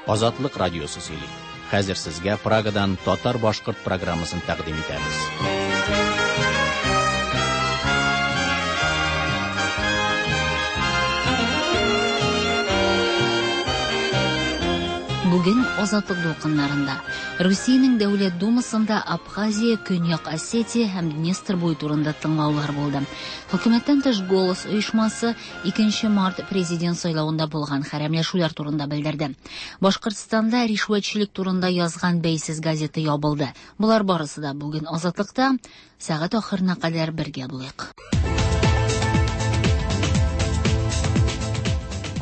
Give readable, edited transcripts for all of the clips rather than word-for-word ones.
Азатлык радиосы сөйли. Хәзер сезгә Прагадан татар-башкорт программасын тәкъдим итәбез. Бүген Азатлык дулкыннарында Русиянең Дәүләт Думасында Абхазия, Көньяк Осетия һәм Днестр буе турында тыңлаулар булды. Хөкүмәттән тыш Голос оешмасы 2 март президент сайлавында булган хәрәмләшүләр турында белдерде. Башкортстанда ришвәтчелек турында язган бәйсез газета ябылды. Болар барысы да бүген Азатлыкта. Сәгать ахырына кадәр бергә булыйк.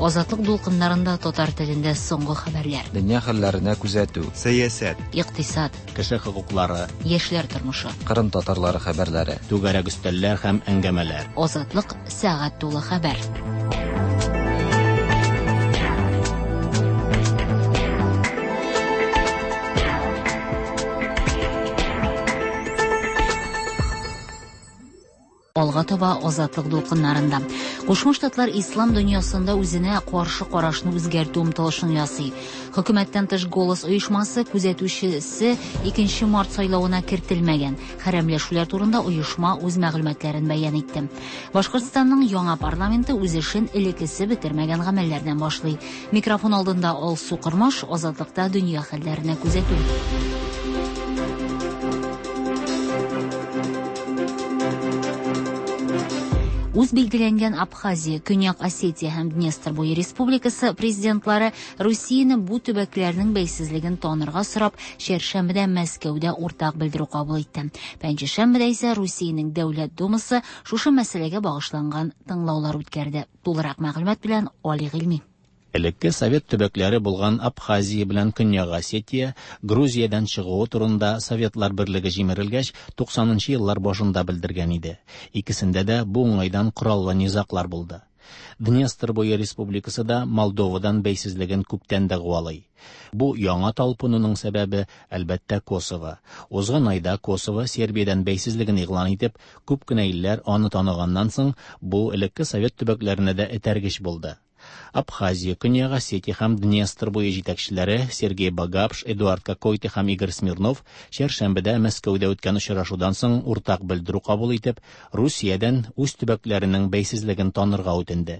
Азатлык дулкыннарында татар телендә соңгы хәбәрләр. Дөнья хәлләренә күзәтү. Сәясәт. Икътисад. Кеше хокуклары. Яшьләр тормышы. Кырым татарлары хәбәрләре. Түгәрәк өстәлләр һәм әңгәмәләр. Азатлык сәгать тулы хәбәр. Алга таба Азатлык дулкыннарында. Кушма Штатлар ислам дөньясында үзенә каршы карашны үзгәртү омтылышын ясый. Хөкүмәттән тыш Голос оешмасы күзәтүчесе 2 март сайлавына кертелмәгән. Хәрәмләшүләр турында оешма үз мәгълүматларын бәян итте. Башкортстанның яңа парламенты үз эшен элеккесе бетермәгән гамәлләрдән башлый. Микрофон алдында Алсу Кормаш, Азатлыкта дөнья хәлләренә күзәтү. Үз билгеләнгән Абхазия, Көньяк Осетия һәм Днестр буе республикасы президентлары Русияне бу төбәкләрнең бәйсезлеген танырга сорап, чәршәмбедә Мәскәүдә уртак белдерү кабул итте. Пәнҗешәмбедә исә Русиянең Дәүләт Думасы шушы мәсьәләгә багышланган тыңлаулар үткәрде. Тулырак мәгълүмат белән Али Гыйльми. Элекке совет төбәкләре булган Абхазия белән Көньяк Осетия Грузиядән чыгуы турында Советлар берлеге җимерелгәч 90 еллар башында белдергән иде. Икесендә дә бу уңайдан кораллы низаглар булды. Днестр буе республикасы да Молдовадан бәйсезлеген күптән дәгъвалый. Бу яңа талпынуның сәбәбе, әлбәттә, Косово. Узган айда Косово Сербиядән бәйсезлеген игълан итеп, күп кенә илләр аны таныганнан соң, бу элекке совет төбәкләренә дә этәргеч булды. Абхазия, Көньяк Осетия һәм Днестр буе җитәкчеләре Сергей Багапш, Эдуард Кокойты һәм Игорь Смирнов чәршәмбедә Мәскәүдә үткән очрашудан соң уртак белдерү кабул итеп, Русиядән үз төбәкләренең бәйсезлеген танырга үтенде.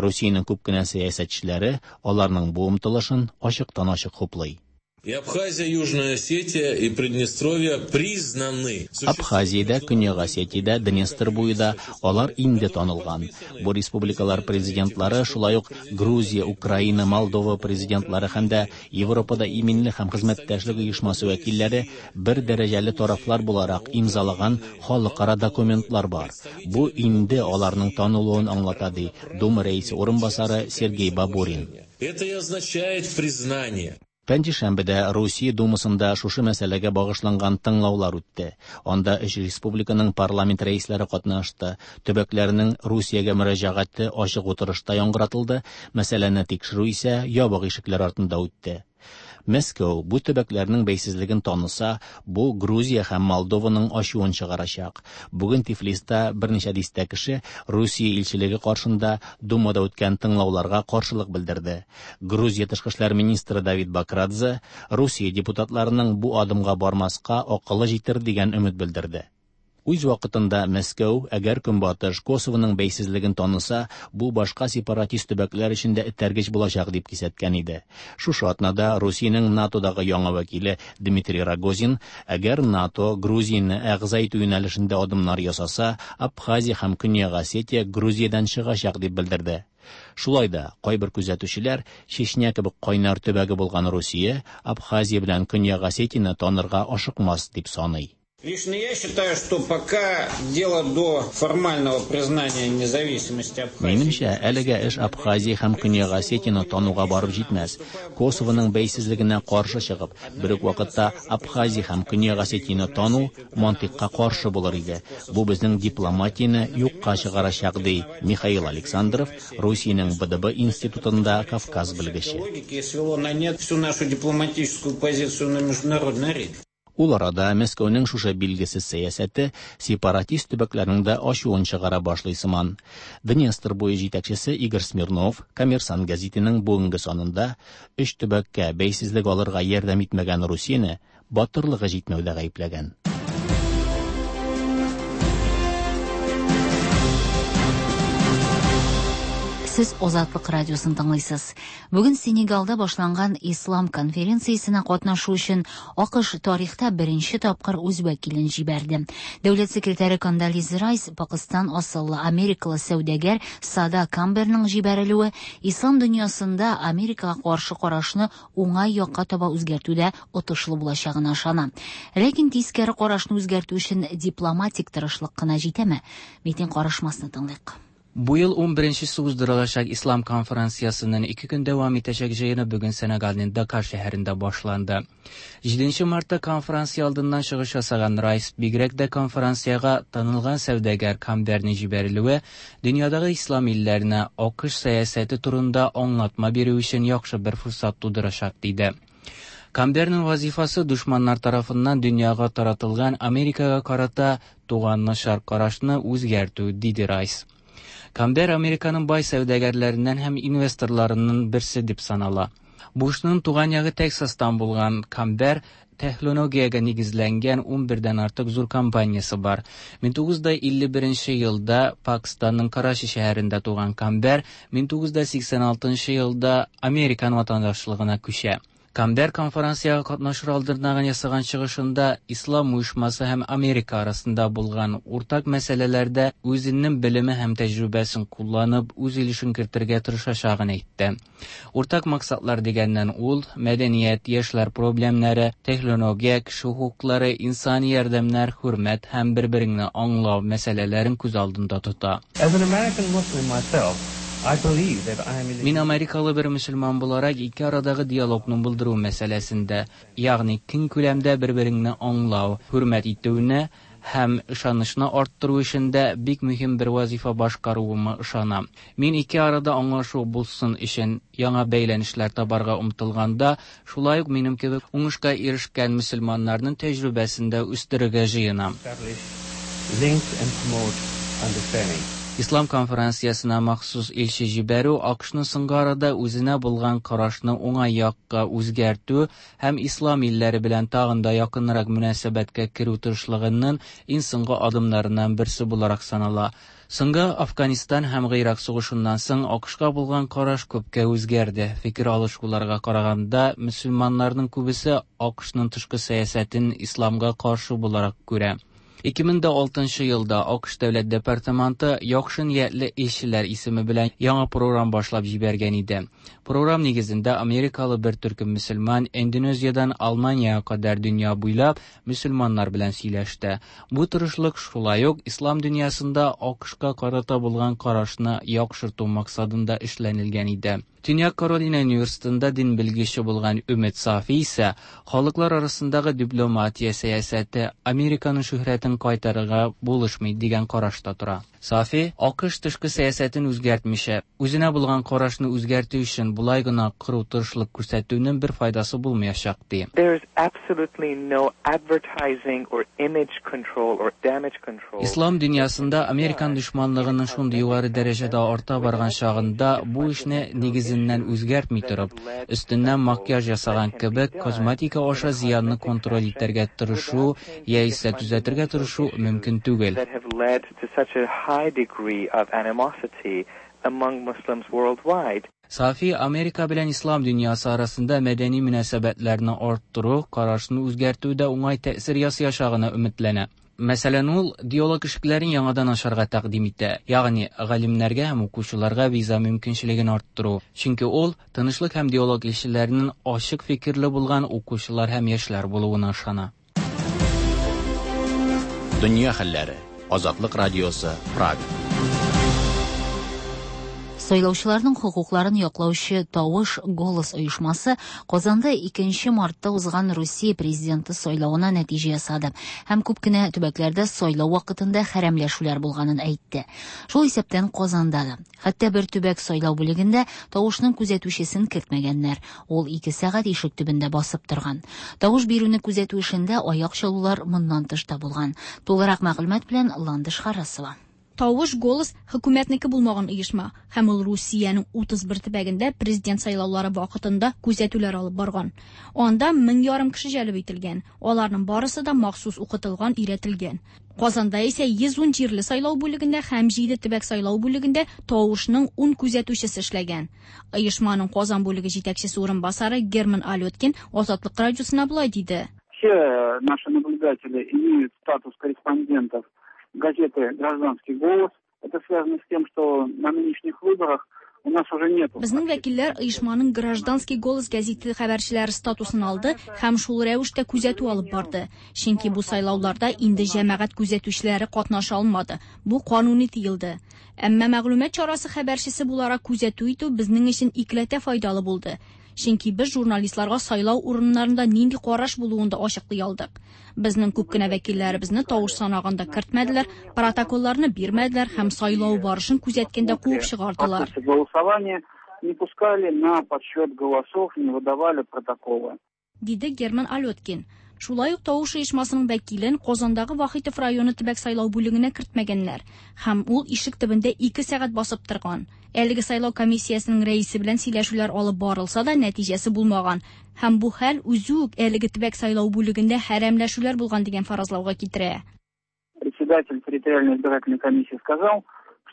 Русиянең күп кенә сәясәтчеләре аларның бу омтылышын ачыктан-ачык хуплый. И Абхазия, Южная Осетия и Приднестровье признаны. Абхазиядә, Көньяк Осетиядә, Днестр буенда алар инде танылган. Бу республикалар президентлары шулай ук Грузия, Украина, Молдова президентлары һәм дә Европада иминлек һәм хезмәттәшлек оешмасы вәкилләре бер дәрәҗәле тарафлар буларак имзалаган халыкара документлар бар. Бу инде аларның танылуын аңлата, ди Дума рәисе урынбасары Сергей Бабурин. Это и означает признание. Пәнҗешәмбедә Русия Думасында шушы мәсьәләгә багышланган тыңлаулар үтте. Анда өч республиканың парламент рәисләре катнашты. Төбәкләрнең Русиягә мөрәҗәгате ачык утырышта яңгыратылды, мәсьәләне тикшерү исә ябык ишекләр артында үтте. Мәскәү бу төбәкләрнең бәйсезлеген таныса, бу Грузия һәм Молдованың ачуын чыгарачак. Бүген Тифлиста берничә дистә кеше Русия илчелеге каршында Думада үткән тыңлауларга каршылык белдерде. Грузия тышкы эшләр министры Давид Бакрадзе Русия депутатларының бу адымга бармаска акылы җитер дигән өмет белдерде. Үз вакытында Мәскәү, әгәр Көнбатыш Косовоның бәйсезлеген таныса, бу башка сепаратист төбәкләр өчен дә этәргеч булачак дип кисәткән иде. Шушы атнада Русиянең НАТОдагы яңа вәкиле Дмитрий Рогозин, әгәр НАТО Грузияне әгъза итү юнәлешендә адымнар ясаса, Абхазия һәм Көньяк Осетия Грузиядән чыгачак дип белдерде. Шулай да кайбер күзәтүчеләр Чечня кебек кайнар төбәге булган Русия Абхазия белән Көньяк Осетияне танырга ашыкмас дип саный. Лично я считаю, что пока дело до формального признания независимости Абхазии. Минемчә, әлегә эш Абхазия һәм Көньяк Осетияне тануга барып җитмәс. Косовоның бәйсезлегенә каршы чыгып, бер үк вакытта Абхазия һәм Көньяк Осетияне тану мантыйкка каршы булыр иде. Бу безнең дипломатияне юкка чыгарачак, ди Михаил Александров, Русиянең БДБ институтында Кавказ белгече. Логики свело на нет всю нашу дипломатическую позицию на международной арене. Ул арада Мәскәүнең шушы билгесез сәясәте сепаратист төбәкләрнең дә ачуын чыгара башлый сыман. Днестр буе җитәкчесе Игорь Смирнов Коммерсант гәзитенең бүгенге санында өч төбәккә бәйсезлек алырга ярдәм итмәгән Русияне батырлыгы җитмәүдә гаепләгән. Сез Азатлык радиосын тыңлыйсыз. Бүген Сенегалда башланган Ислам конференциясенә катнашу өчен АКШ тарихта беренче тапкыр үз вәкилен җибәрде. Дәүләт секретаре Кондолиза Райс Пакыстан асыллы америкалы сәүдәгәр Сада Камберның җибәрелүе ислам дөньясында Америкага каршы карашны уңай якка таба үзгәртүдә отышлы булачагына ышана. Ләкин тискәре карашны үзгәртү өчен дипломатик тырышлык кына җитәме? Митин карышмасны тыңлыйк. Бу ел 11-нчесе уздырылачак Ислам конференциясенең 2 көн дәвам итәчәк җыены бүген Сенегалның Дакар шәһәрендә башланды. 7 мартта конференция алдыннан чыгыш ясаган Райс бигрәк дә конференциягә танылган сәүдәгәр Камберның җибәрелүе дөньядагы ислам илләренә АКШ сәясәте турында аңлатма бирү өчен яхшы бер форсат тудырачак диде. Камберның вазифасы дошманнар тарафыннан дөньяга таратылган Америкага карата туган начар карашны үзгәртү, диде Райс. Камбер Американың бай сәүдәгәрләреннән һәм инвесторларының берсе дип санала. Бушның туган ягы Тексастан булган Камбер технологиягә нигезләнгән 11дән артык зур компаниясе бар. 1951 елда Пакистанның Карачи шәһәрендә туган Камбер 1986 елда Американ ватандашлыгына күчә. Камбер конференциягә катнашыр алдыннан ясаган чыгышында Ислам оешмасы һәм Америка арасында булган уртак мәсьәләләрдә үзенең белеме һәм тәҗрибәсен кулланып, үз өлешен кертергә тырышачагын әйтте. Уртак максатлар дигәннән ул мәдәният, яшьләр проблемнары, технология, кеше хокуклары, инсани ярдәмнәр, хөрмәт һәм бер-береңне аңлау мәсьәләләрен күз алдында тота. As an American Muslim myself, I believe that I am in Мин америкалы бер мөселман буларак ике арадагы диалогны булдыру мәсьәләсендә, ягъни киң күләмдә бер-береңне аңлау, хөрмәт итүне һәм ышанычны арттыру өчен дә бик мөһим бер вазифа башкаруыма ышанам. Мин ике арада аңлашу булсын өчен яңа бәйләнешләр табарга омтылганда, шулай ук минем кебек уңышка ирешкән мөселманнарның тәҗрибәсен дә үстерергә җыенам. establish links and promote understanding. Ислам конференциясенә махсус илче җибәрү АКШның соңгы арада үзенә булган карашны уңай якка үзгәртү һәм ислам илләре белән тагын да якынрак мөнәсәбәткә керү тырышлыгының иң соңгы адымнарыннан берсе буларак санала. Соңгы Афганистан һәм Гыйрак сугышыннан соң АКШка булган караш күпкә үзгәрде. Фикер алышуларга караганда, мөселманнарның күбесе АКШның тышкы сәясәтен исламга каршы буларак күрә. 2006 елда АКШ Дәүләт департаменты яхшы ниятле илчеләр исеме белән яңа програм башлап җибәргән иде. Програм нигезендә америкалы бер төркем мөселман Индонезиядән Алманиягә кадәр дөнья буйлап мөселманнар белән сөйләште. Бу тырышлык шулай ук ислам дөньясында АКШка карата булган карашны яхшырту максатында эшләнелгән иде. Төньяк Каролина университетында дин белгече булган Өмет Сафи исә халыклар арасындагы дипломатия сәясәте Американың шөһрәтен кайтарырга булышмый дигән карашта тора. Сафи АКШ тышкы сәясәтен үзгәртмичә, үзенә булган карашны үзгәртү өчен болай гына кыру тырышлык күрсәтүнең бер файдасы булмаячак ди. There is absolutely no advertising or image control or damage control. Ислам дөньясында американ дошманлыгының шундый югары дәрәҗәдә арта барган чагында бу эшне нигезеннән үзгәртми торып, өстеннән макияж ясаган кебек косметика аша зыянны контроль итәргә тырышу яисә төзәтергә тырышу мөмкин түгел. That have led to such a high degree of animosity among Muslims worldwide. Сафи Америка белән ислам дөньясы арасында мәдәни мөнәсәбәтләрне арттыру, карашны үзгәртүдә уңай тәэсир ясаячагына өметләнә. Мәсәлән, ул диалог ишекләрен яңадан ачарга тәкъдим итә, ягъни галимнәргә һәм укучыларга виза мөмкинчелеген арттыру. Чөнки ул тынычлык һәм диалог илчеләренең ачык фикерле булган укучылар һәм яшьләр булуына ышана. Дөнья хәлләре. Азатлык радиосы, Прага. Сайлаучыларның хокукларын яклаучы Тавыш Голос оешмасы Казанда 2 мартта узган Русия президенты сайлавына нәтиҗә ясады һәм күп кенә төбәкләрдә сайлау вакытында хәрәмләшүләр булганын әйтте. Шул исәптән Казанда да. Хәтта бер төбәк сайлау бүлегендә тавышның күзәтүчесен кертмәгәннәр. Ул 2 сәгать ишек төбендә басып торган. Тавыш бирүне күзәтү эшендә аяк чалулар моннан тыш та булган. Тулырак мәгълүмат белән Ландыш Харрасова. Тавыш Голос хөкүмәтнеке булмаган оешма һәм ул Русиянең 31 төбәгендә президент сайлаулары вакытында күзәтүләр алып барган. Анда 1500 кеше җәлеп ителгән. Аларның барысы да махсус укытылган, өйрәтелгән. Казанда исә 110 җирле сайлау бүлегендә һәм 7 төбәк сайлау бүлегендә тавышның 10 күзәтүчесе эшләгән. Оешманың Казан бүлеге җитәкчесе урынбасары Герман Алёткин Азатлык радиосына болай диде. Все наши наблюдатели имеют статус корреспондентов газеты «Гражданский голос». Это связано с тем, что на нынешних выборах у нас уже нет. Безнең вәкилләр оешманың «Гражданский голос» гәзите хәбәрчеләре статусын алды һәм шул рәвештә күзәтү алып барды. Чөнки бу сайлауларда инде җәмәгать күзәтүчеләре катнаша алмады. Бу кануни тыелды. Әмма мәгълүмат чарасы хәбәрчесе буларак күзәтү итү безнең өчен икеләтә файдалы булды. Чөнки без журналистларга сайлау урыннарында нинди караш булуын да ачыклый алдык. Безнең күп кенә вәкилләребезне тавыш санаганда кертмәделәр, протоколларны бирмәделәр һәм сайлау барышын күзәткәндә куып чыгардылар. Голосование не пускали на подсчет голосов, не выдавали протоколы. Диде Герман Алёткин. Шулай ук тавыш оешмасының вәкилен Казандагы Вахитов районы төбәк сайлау бүлегенә кертмәгәннәр һәм ул ишек төбендә 2 сәгать басып торган. Әлеге сайлау комиссиясенең рәисе белән сөйләшүләр алып барылса да нәтиҗәсе булмаган һәм бу хәл үзе үк әлеге төбәк сайлау бүлегендә хәрәмләшүләр булган дигән фаразлауга китерә. Председатель территориальной избирательной комиссии сказал,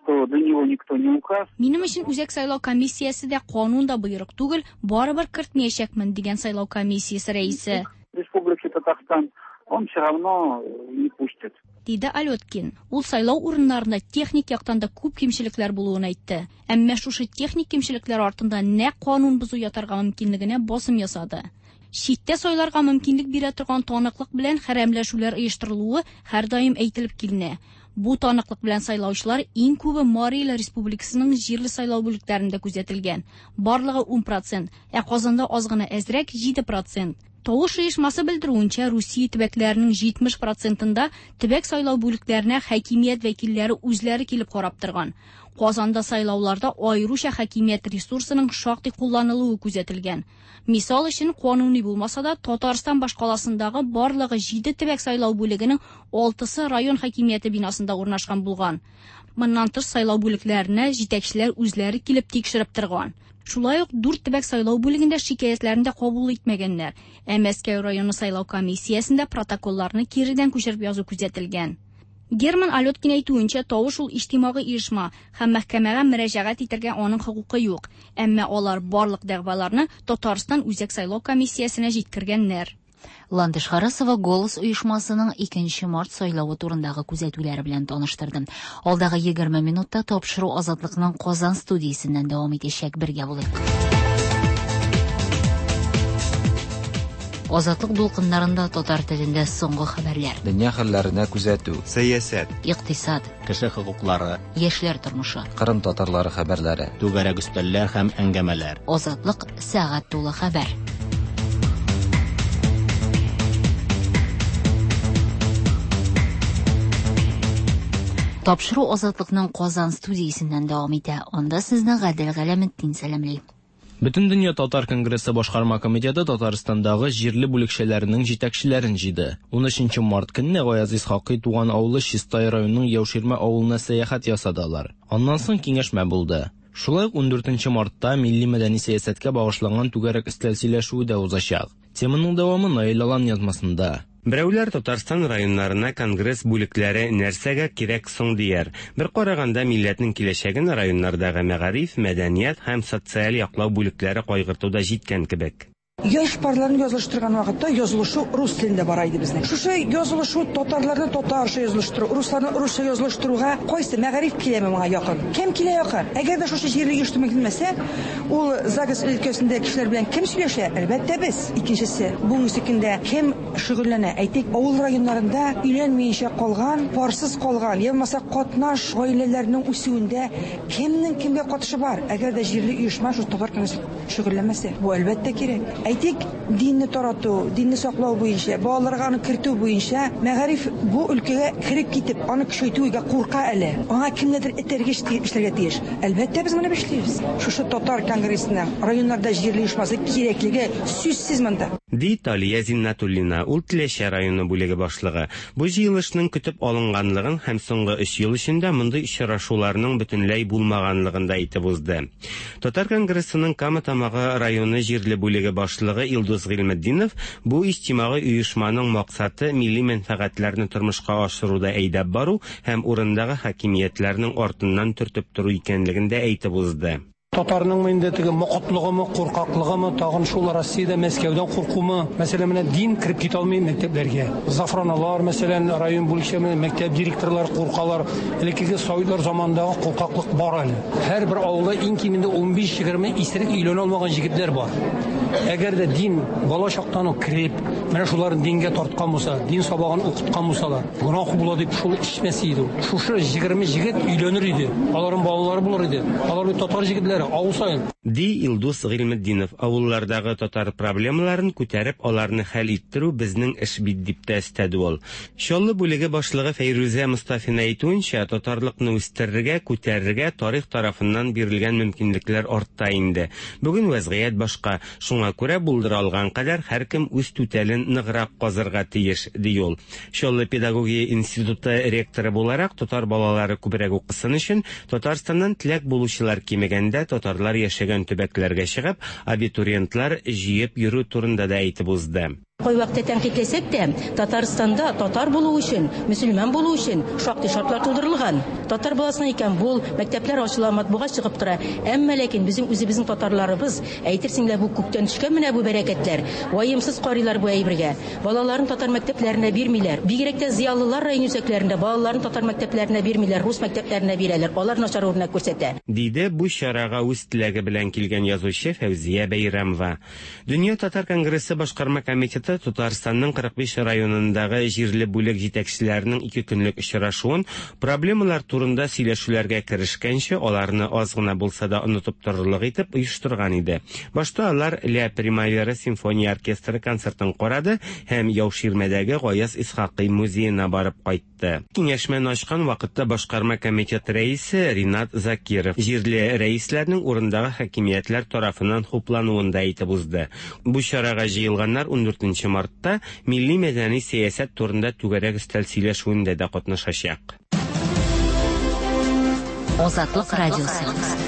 что для него никто не указ. Минем өчен үзәк сайлау комиссиясе дә канун да боерык түгел, барыбер кертмәячәкмен дигән сайлау комиссиясе рәисе. Республики Татарстан, он все равно не пустит. Диде Алёткин. Ул сайлау урыннарында техник яктан да күп кимчелекләр булуын әйтте. Әмма шушы техник кимчелекләр артында нәкъ канун бозу ятарга мөмкинлегенә басым ясады. Читтә сайларга мөмкинлек бирә торган таныклык белән хәрәмләшүләр оештырылуы һәрдаим әйтелеп киленә. Бу таныклык белән сайлаучылар иң күбе Марий Эл Республикасының җирле сайлау бүлекләрендә күзәтелгән. Барлыгы 10%, ә Казанда аз гына әзрәк 7%. Тавыш оешмасы белдерүенчә, Русия төбәкләренең 70%-ында төбәк сайлау бүлекләренә хакимият вәкилләре үзләре килеп карап торган. Казанда сайлауларда аеруча хакимият ресурсының шактый кулланылуы күзәтелгән. Мисал өчен, кануни булмаса да, Татарстан башкаласындагы барлыгы 7 төбәк сайлау бүлегенең 6-сы район хакимияте бинасында урнашкан булган. Моннан тыш сайлау бүлекләренә җитәкчеләр үзләре килеп тикшереп торган. Шулай ук 4 төбәк сайлау бүлегендә шикаятьләрне дә кабул итмәгәннәр. Ә Мәскәү районы сайлау комиссиясендә протоколларны киредән күчереп язу күзәтелгән. Герман Алёткин әйтүенчә, тавыш ул иҗтимагый оешма һәм мәхкәмәгә мөрәҗәгать итәргә аның хокукы юк. Әмма алар барлык дәгъваларны Татарстан Үзәк сайлау комиссиясенә җиткергәннәр. Ландыш Харасова Голос оешмасының 2 март сайлавы турындагы күзәтүләре белән таныштырды. Алдагы 20 минутта тапшыру Азатлыкның Казан студиясеннән дәвам итәчәк. Бергә булыйк. Азатлык дулкыннарында татар телендә соңгы хәбәрләр. Дөнья хәлләренә күзәтү. Сәясәт. Икътисад. Кеше хокуклары. Яшьләр тормышы. Кырым татарлары хәбәрләре. Түгәрәк өстәлләр һәм әңгәмәләр. Азатлык сәгать тулы хәбәр. Тапшыру Азатлыкның Казан студиясеннән дәвам итә. Анда сезне Гадел Галәметдин сәламли. Бөтендөнья татар конгрессы башкарма комитеты Татарстандагы җирле бүлекчәләренең җитәкчеләрен җыйды. 13 март көнне Гаяз Исхакый туган авылы Чистай районының Яуширмә авылына сәяхәт ясады алар. Аннан соң киңәшмә булды. Шулай ук 14 мартта милли мәдәни сәясәткә багышланган түгәрәк өстәл сөйләшүе дә узачак. Теманың дәвамы Наил Алан язмасында. Берәүләр Татарстан районнарына конгресс бүлекләре нәрсәгә кирәк соң дияр. Бер караганда милләтнең киләчәген районнардагы мәгариф, мәдәният һәм социаль яклау бүлекләре кайгыртуда җиткән кебек. Яшь парларны язылыштырган вакытта язылышу рус телендә бара иде безнең. Шушы язылышу татарларны татарча язылыштыру, русларны русча язылыштыруга кайсы мәгариф киләме моңа якын? Кем килә якын? Әгәр дә шушы җирле оештырма килмәсә, ул ЗАГС өлкәсендә кешеләр белән кем сөйләшә? Әлбәттә, без. Икенчесе, бүгенге көндә кем шөгыльләнә? Әйтик, авыл районнарында өйләнмиенчә калган, парсыз калган, я булмаса катнаш гаиләләрнең үсүендә кемнең кемгә катышы бар? Әгәр дә җирле оешма шул татар конгрессы шөгыльләнмәсә, бу әлбәттә кирәк. Әйтик, динне тарату, динне саклау буенча, балаларга аны кертү буенча мәгариф бу өлкәгә кереп китеп, аны көчәйтүгә курка әле. Аңа кемнедер этәргеч эшләргә тиеш. Әлбәттә, без моны эшлибез. Шушы татар конгрессының районнарда җирле оешмасы кирәклеге сүзсез монда. Ди Талия Зиннатуллина, ул Теләче районы бүлеге башлыгы. Бу җыелышның көтеп алынганлыгын һәм соңгы өч ел эчендә мондый очрашуларның бөтенләй булмаганлыгын да әйтеп узды. Татар конгрессының Кама Тамагы районы җирле бүлеге башлыгы Илдус Гыйльметдинов бу иҗтимагый оешманың максаты милли мәнфәгатьләрне тормышка ашыруда әйдәп бару һәм урындагы хакимиятләрнең артыннан төртеп тору икәнлеген дә әйтеп узды. Татарның инде теге мокытлыгымы, куркаклыгымы, тагын шул Россиядә Мәскәүдән куркумы? Мәсәлән, менә дин кереп китә алмый мәктәпләргә. Зафраналар, мәсәлән, район бүлекчә мәктәп директорлары куркалар. Элеккеге советлар заманындагы куркаклык бар әле. Һәрбер авылда иң кимендә 15-20 исерек өйләнә алмаган җегетләр бар. Әгәр дә дин бала чактан ук кереп, менә шуларны дингә тарткан булса, дин сабагын укыткан булсалар, гөнаһ була дип шул эчмәс иде. Шушы 20 җегет өйләнер иде. Аларның балалары булыр иде. Алар бит татар җегетләре, авыл саен. Ди Илдус Гыйльметдинов. Авыллардагы татар проблемаларын күтәреп, аларны хәл иттерү безнең эш бит, дип тә өстәде ул. Чаллы бүлеге башлыгы Фәйрүзә Мостафина әйтүенчә, татарлыкны үстерергә, күтәрергә тарих тарафыннан бирелгән мөмкинлекләр артта инде. Бүген вәзгыять башка, шуңа күрә булдыра алган кадәр һәркем үз түтәлен ныграк казырга тиеш, ди ул. Чаллы педагогия институты ректоры буларак татар балалары күбрәк укысын өчен Татарстаннан теләк булучылар кимегәндә татарлар яшәгән төбәкләргә чыгып, абитуриентлар җыеп йөрү турында да әйтеп узды. Кайвакытта тәнкыйтьләсәк тә, Татарстанда татар булу өчен, мөселман булу өчен шактый шартлар тудырылган. Татар баласына икән бул, мәктәпләр ачыла, матбугат чыгып тора. Әмма ләкин безнең үзебезнең татарларыбыз, әйтерсең лә бу күктән төшкән менә бу бәрәкәтләр, ваемсыз карыйлар бу әйбергә. Балаларын татар мәктәпләренә бирмиләр. Бигрәк тә зыялылар район үзәкләрендә балаларын татар мәктәпләренә бирмиләр, рус мәктәпләренә бирәләр. Алар начар үрнәк күрсәтә. Диде бу чарага үз теләге белән килгән язучы Фәүзия Бәйрәмова. Дөнья татар конгрессы башкарма комитеты Татарстанның 45 районындагы җирле бүлек җитәкчеләренең ике көнлек очрашуын проблемалар турында сөйләшүләргә керешкәнче аларны аз гына булса да онытып торырлык итеп оештырган иде. Башта алар Ля Примавера симфония оркестры концертын карады һәм Яуширмәдәге Гаяз Исхакый музеена барып кайтты. Киңәшмәне ачкан вакытта башкарма комитет рәисе Ринат Закиров җирле рәисләрнең урындагы хакимиятләр тарафыннан хуплануын да әйтеп узды. Бу чарага җыелганнар 14 мартта милли мәдәни сәясәт турында түгәрәк өстәл сөйләшүендә дә катнашачак. Азатлык радиосы.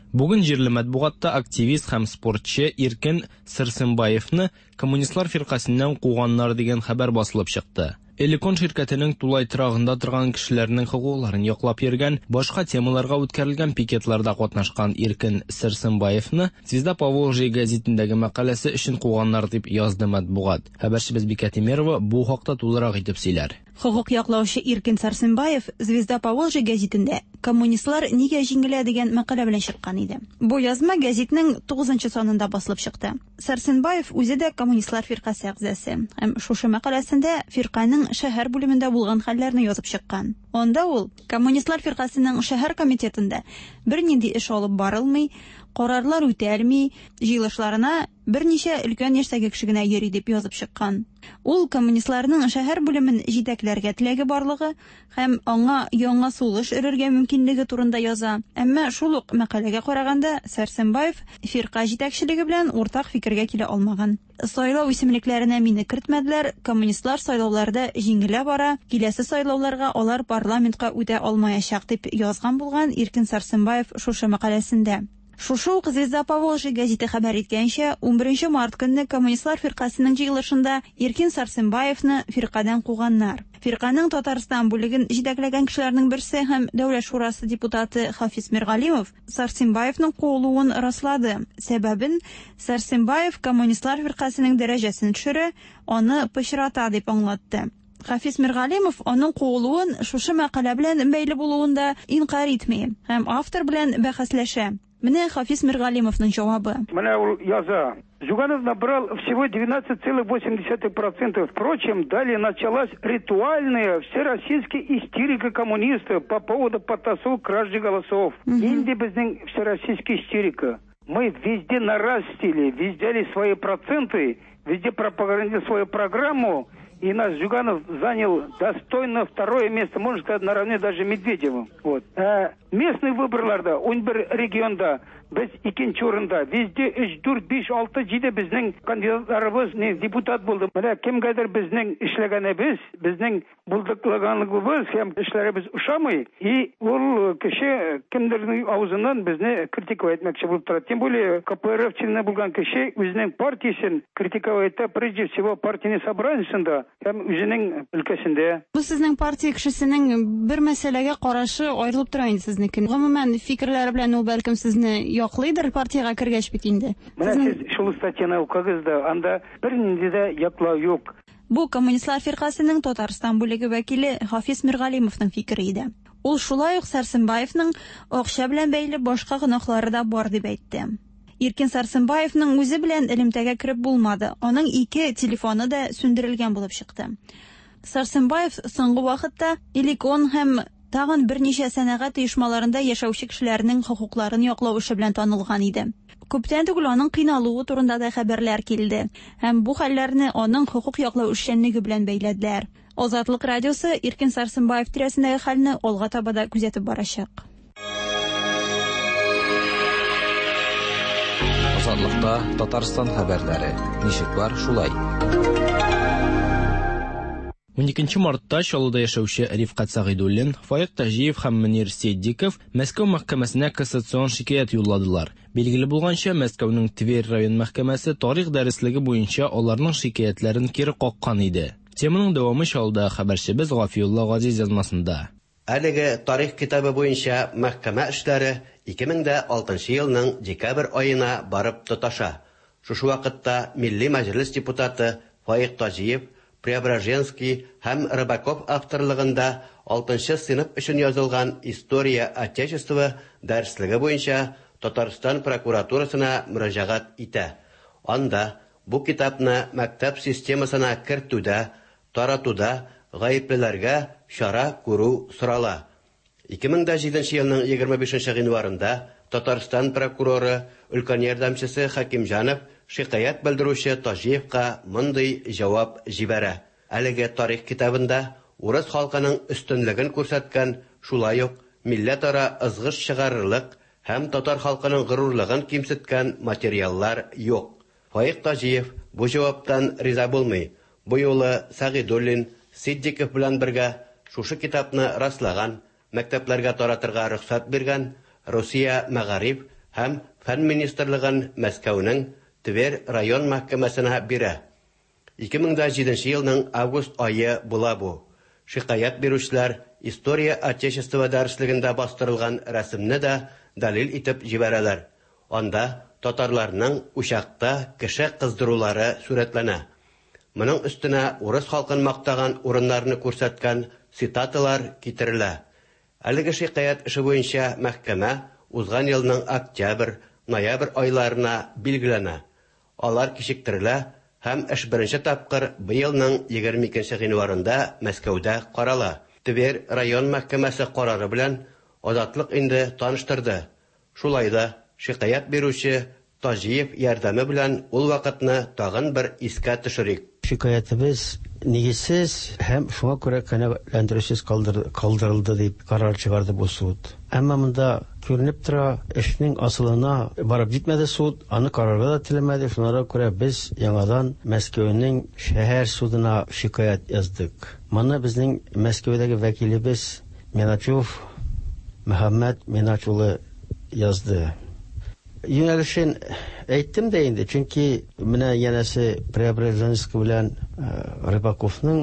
Бүген җирле матбугатта активист һәм спортчы Иркен Сәрсенбаевны коммунистлар фиркасеннән куганнар дигән хәбәр басылып чыкты. Элекон ширкәтенең тулай торагында торган кешеләрнең хокукларын яклап йөргән, башка темаларга үткәрелгән пикетларда катнашкан Иркен Сәрсенбаевны Звезда Поволжья гәзитендәге мәкаләсе өчен куганнар дип язды матбугат. Хәбәрчебез Бикә Тимерова бу хакта тулырак итеп сөйләр. Хокук яклаучы Иркен Сәрсенбаев Звезда Поволжья гәзитендә Коммунистлар нигә җиңелә дигән мәкалә белән чыккан иде. Бу язма гәзитнең 9 санында басылып чыкты. Сәрсенбаев үзе дә коммунистлар фиркасе әгъзасы. Һәм шушы мәкаләсендә фирканең шәһәр бүлемендә булган хәлләрне язып чыккан. Анда ул коммунистлар фиркасының шәһәр комитетында бернинди эш алып барылмый, карарлар үтәлми, җыелышларына берничә өлкән яшьтәге кеше генә йөри дип язып чыккан. Ул коммунистларның шәһәр бүлемен җитәкләргә теләге барлыгы һәм аңа яңа сулыш өрергә мөмкинлеге турында яза. Әмма шул ук мәкаләгә караганда Сәрсенбаев фирка җитәкчелеге белән уртак фикергә килә алмаган. Сайлау исемлекләренә мине кертмәделәр, коммунистлар сайлауларда җиңелә бара, киләсе сайлауларга алар парламентка үтә алмаячак дип язган булган Иркен Сәрсенбаев шушы мәкаләсендә. Шушы ук Звезда Поволжья гәзите хәбәр иткәнчә, 11 март көнне Коммунистлар фиркасенең җыелышында Иркин Сарсенбаевны фиркадән куганнар. Фирканең Татарстан бүлеген җитәкләгән кешеләрнең берсе һәм Дәүләт шурасы депутаты Хафиз Миргалимов Сарсенбаевның куылуын раслады. Сәбәбен Сарсенбаев Коммунистлар фиркасенең дәрәҗәсен төшерә, аны пычрата дип аңлатты. Хафиз Миргалимов аның куылуын шушы мәкалә белән бәйле булуын да инкарь итми һәм автор белән бәхәсләшә. Менә Хафиз Миргалимовның җавабы. Менә ул яза. Зюганов набрал всего 12,8%. Впрочем, далее началась ритуальная всероссийская истерика коммунистов по поводу подтасовок кражи голосов. Нинди безнең всероссийская истерика? Мы везде нарастили, везде свои проценты, везде пропагандировали свою программу, и наш Зюганов занял достойно второе место, можно сказать, наравне даже Медведевым. Вот. Ә местный выборларда, 11 регионда без икенче урында, везде 3, 4, 5, 6, 7 безнең кандидатларыбыз не депутат булды. Менә кемгәдер безнең эшләгәнебез, безнең булдыклыганыбыз һәм эшләребез ошамый, и ул кеше кемдернең авызыннан безне критиковать итмәкче булып тора. Тем более КПРФ члены булган кеше үзенең партиясен критиковать итә, прежде всего партийный собраниесында һәм үзенең өлкәсендә. Бу сезнең партия кешесенең бер мәсьәләгә карашы аерылып тора инде сезнеке. Гомумән, фикерләре белән ул бәлкем сезне яклыйдыр партиягә кергәч бит инде. Менә сез шул статьяны укыгыз да, анда бернинди дә яклау юк. Бу Коммунистлар фиркасенең Татарстан бүлеге вәкиле Хафиз Миргалимовның фикере иде. Ул шулай ук Сәрсенбаевның акча белән бәйле башка гөнаһлары да бар дип әйтте. Иркин Сәрсенбаевның үзе белән элемтәгә кереп булмады. Аның ике телефоны да сүндерелгән булып чыкты. Сәрсенбаев соңгы вакытта Эликон һәм тагын берничә сәнәгать оешмаларында яшәүче кешеләрнең хокукларын яклау эше белән танылган иде. Күптән түгел аның кыйналуы турында да хәбәрләр килде һәм бу хәлләрне аның хокук яклау эшчәнлеге белән бәйләделәр. Азатлык радиосы Иркин Сарсенбаев тирәсендәге хәлне алга таба да күзәтеп барачак. Азатлыкта Татарстан хәбәрләре. Ничек бар, шулай. 12 мартта Чаллыда яшәүче Рифкать Сәгыйдуллин, Фаик Таҗиев һәм Мөнир Ситдиков Мәскәү мәхкәмәсенә кассацион шикаять юлладылар. Билгеле булганча, Мәскәүнең Тверь район мәхкәмәсе тарих дәреслеге буенча аларның шикаятьләрен кире каккан иде. Теманың дәвамы Чаллыда хәбәрчебез Гафиулла Газиз язмасында. Әлеге тарих китабы буенча мәхкәмә эшләре 2006 елның декабрь аена барып тоташа. Шушы вакытта Милли Мәҗлес депутаты Фаик Таҗиев Преображенский һәм Рыбаков авторлыгында 6 сыйныф өчен язылган История Отечества дәреслеге буенча Татарстан прокуратурасына мөрәҗәгать итә. Анда бу китапны мәктәп системасына кертүдә, таратуда гаеплеләргә чара күрү сорала. 2007 елның 25 гыйнварында Татарстан прокуроры, өлкән ярдәмчесе Хакимҗанов шикаять белдерүче Таҗиевка мондый җавап җибәрә. Әлеге тарих китабында урыс халкының өстенлеген күрсәткән, шулай ук милләтара ызгыш чыгарырлык һәм татар халкының горурлыгын кимсеткән материаллар юк. Фаик Таҗиев бу җаваптан риза булмый. Бу юлы Сәгыйдуллин, Ситдиков белән бергә шушы китапны раслаган, мәктәпләргә таратырга рөхсәт биргән Русия мәгариф һәм фән министрлыгын Мәскәүнең Тверь район мәхкәмәсенә бирә. 2007 елның август ае була бу. Шикаять бирүчеләр История Отечества дәреслегендә бастырылган рәсемне дә дәлил итеп җибәрәләр. Анда татарларның учакта кеше кыздырулары сурәтләнә. Моның өстенә урыс халкын мактаган урыннарны күрсәткән цитаталар китерелә. Әлеге шикаять эше буенча мәхкәмә узган елның октябрь, ноябрь айларына билгеләнә. Алар кичектерелә һәм эш беренче тапкыр быелның 22 гыйнварында Мәскәүдә карала. Тверь район мәхкәмәсе карары белән Азатлык инде таныштырды. Шулай да шикаять бирүче Таҗиев ярдәме белән ул вакытны тагын бер искә төшерик. Шикаятебез нигезсез һәм шуңа күрә канәгатьләндерүсез калдырылды дип карар чыгарды бу суд. Әмма монда күренеп тора, эшнең асылына барып җитмәде суд, аны карарга да теләмәде. Шуңа күрә без яңадан Мәскәүнең шәһәр судына шикаять яздык. Моны безнең Мәскәүдәге вәкилебез Миначев Мөхәммәд Минач улы язды. Юнәлешен әйттем дә инде, чөнки менә янәсе Преображенский белән Рыбаковның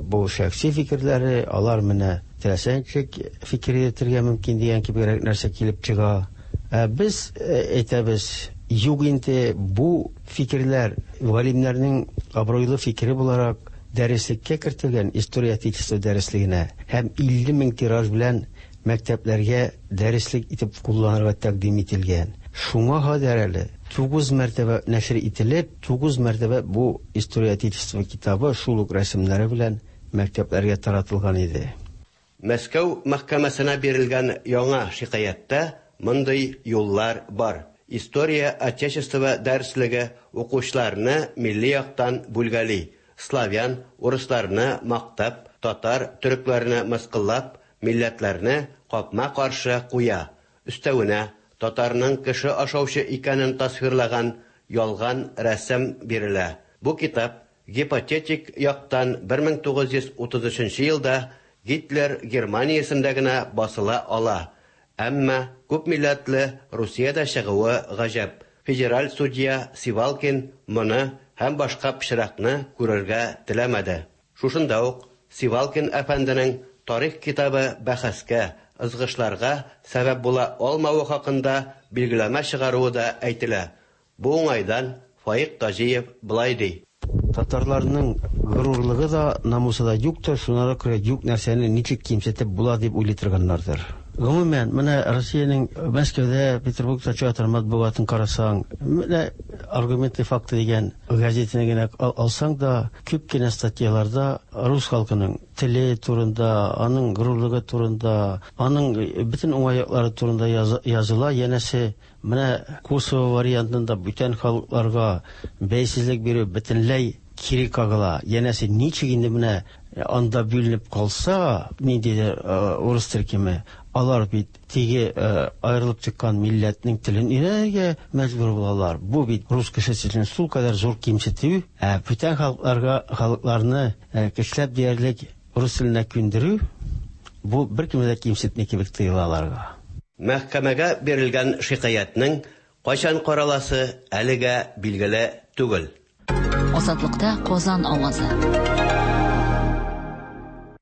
бу шәхси фикерләре, алар менә теләсә ничек фикер йөртергә мөмкин дигән кебегрәк нәрсә килеп чыга. Ә без әйтәбез, юк инде, бу фикерләр галимнәрнең абруйлы фикере буларак дәреслеккә кертелгән, История Отечества дәреслегенә һәм 50 мең тираж белән мәктәпләргә дәреслек итеп кулланырга тәкъдим ителгән. Шуңа кадәр әле 9 мәртәбә нәшер ителеп, 9 мәртәбә бу История Отечества китабы шул ук рәсемнәре белән мәктәпләргә таратылган иде. Мәскәү мәхкәмәсенә бирелгән яңа шикаятьтә мондый юллар бар, История Отечества дәреслеге укучыларны милли яктан бүлгәли, славян, урысларны мактап, татар, төрекләрне мыскыллап, милләтләрне капма-каршы куя, өстәвенә, татарның кеше ашаучы икәнен тасвирлаган ялган рәсем бирелә. Бу китап гипотетик яктан 1933 елда Гитлер Германиясендә генә басыла ала, әмма күпмилләтле Русиядә чыгуы гаҗәп. Федераль судья Сивалкин моны һәм башка пычракны күрергә теләмәде. Шушында ук Сивалкин әфәнденең тарих китабы бәхәскә, ызгышларга сәбәп була алмавы хакында билгеләмә чыгаруы да әйтелә. Бу уңайдан Фаик Таҗиев болай ди. Татарларның горурлыгы да, намусы да юктыр, шуңа күрә юк нәрсәне ничек кимсетеп була дип уйлый торганнардыр. Гомумән, менә Россиянең Мәскәүдә, Петербургта чыга торган матбугатын карасаң, менә Аргументы и факты дигән газетаны генә алсаң да, күп кенә статьяларда рус халкының теле турында, аның горурлыгы турында, аның бөтен уңай яклары турында языла. Янәсе, менә Косово вариантында бүтән халыкларга бәйсезлек бирү бөтенләй кире кагыла. Янәсе, ничек инде менә анда бүленеп калса, ниндидер урыс төркеме, алар бит теге аерылып чыккан милләтнең телен өйрәнергә мәҗбүр булалар. Бу бит рус кешесе өчен шулкадәр зур кимсетү, ә бүтән халыкларга халыкларны көчләп диярлек рус теленә күндерү, бу беркемне дә кимсетми кебек тоела аларга. Мәхкәмәгә бирелгән шикаятьнең кайчан караласы әлегә билгеле түгел. Азатлыкта Казан авазы.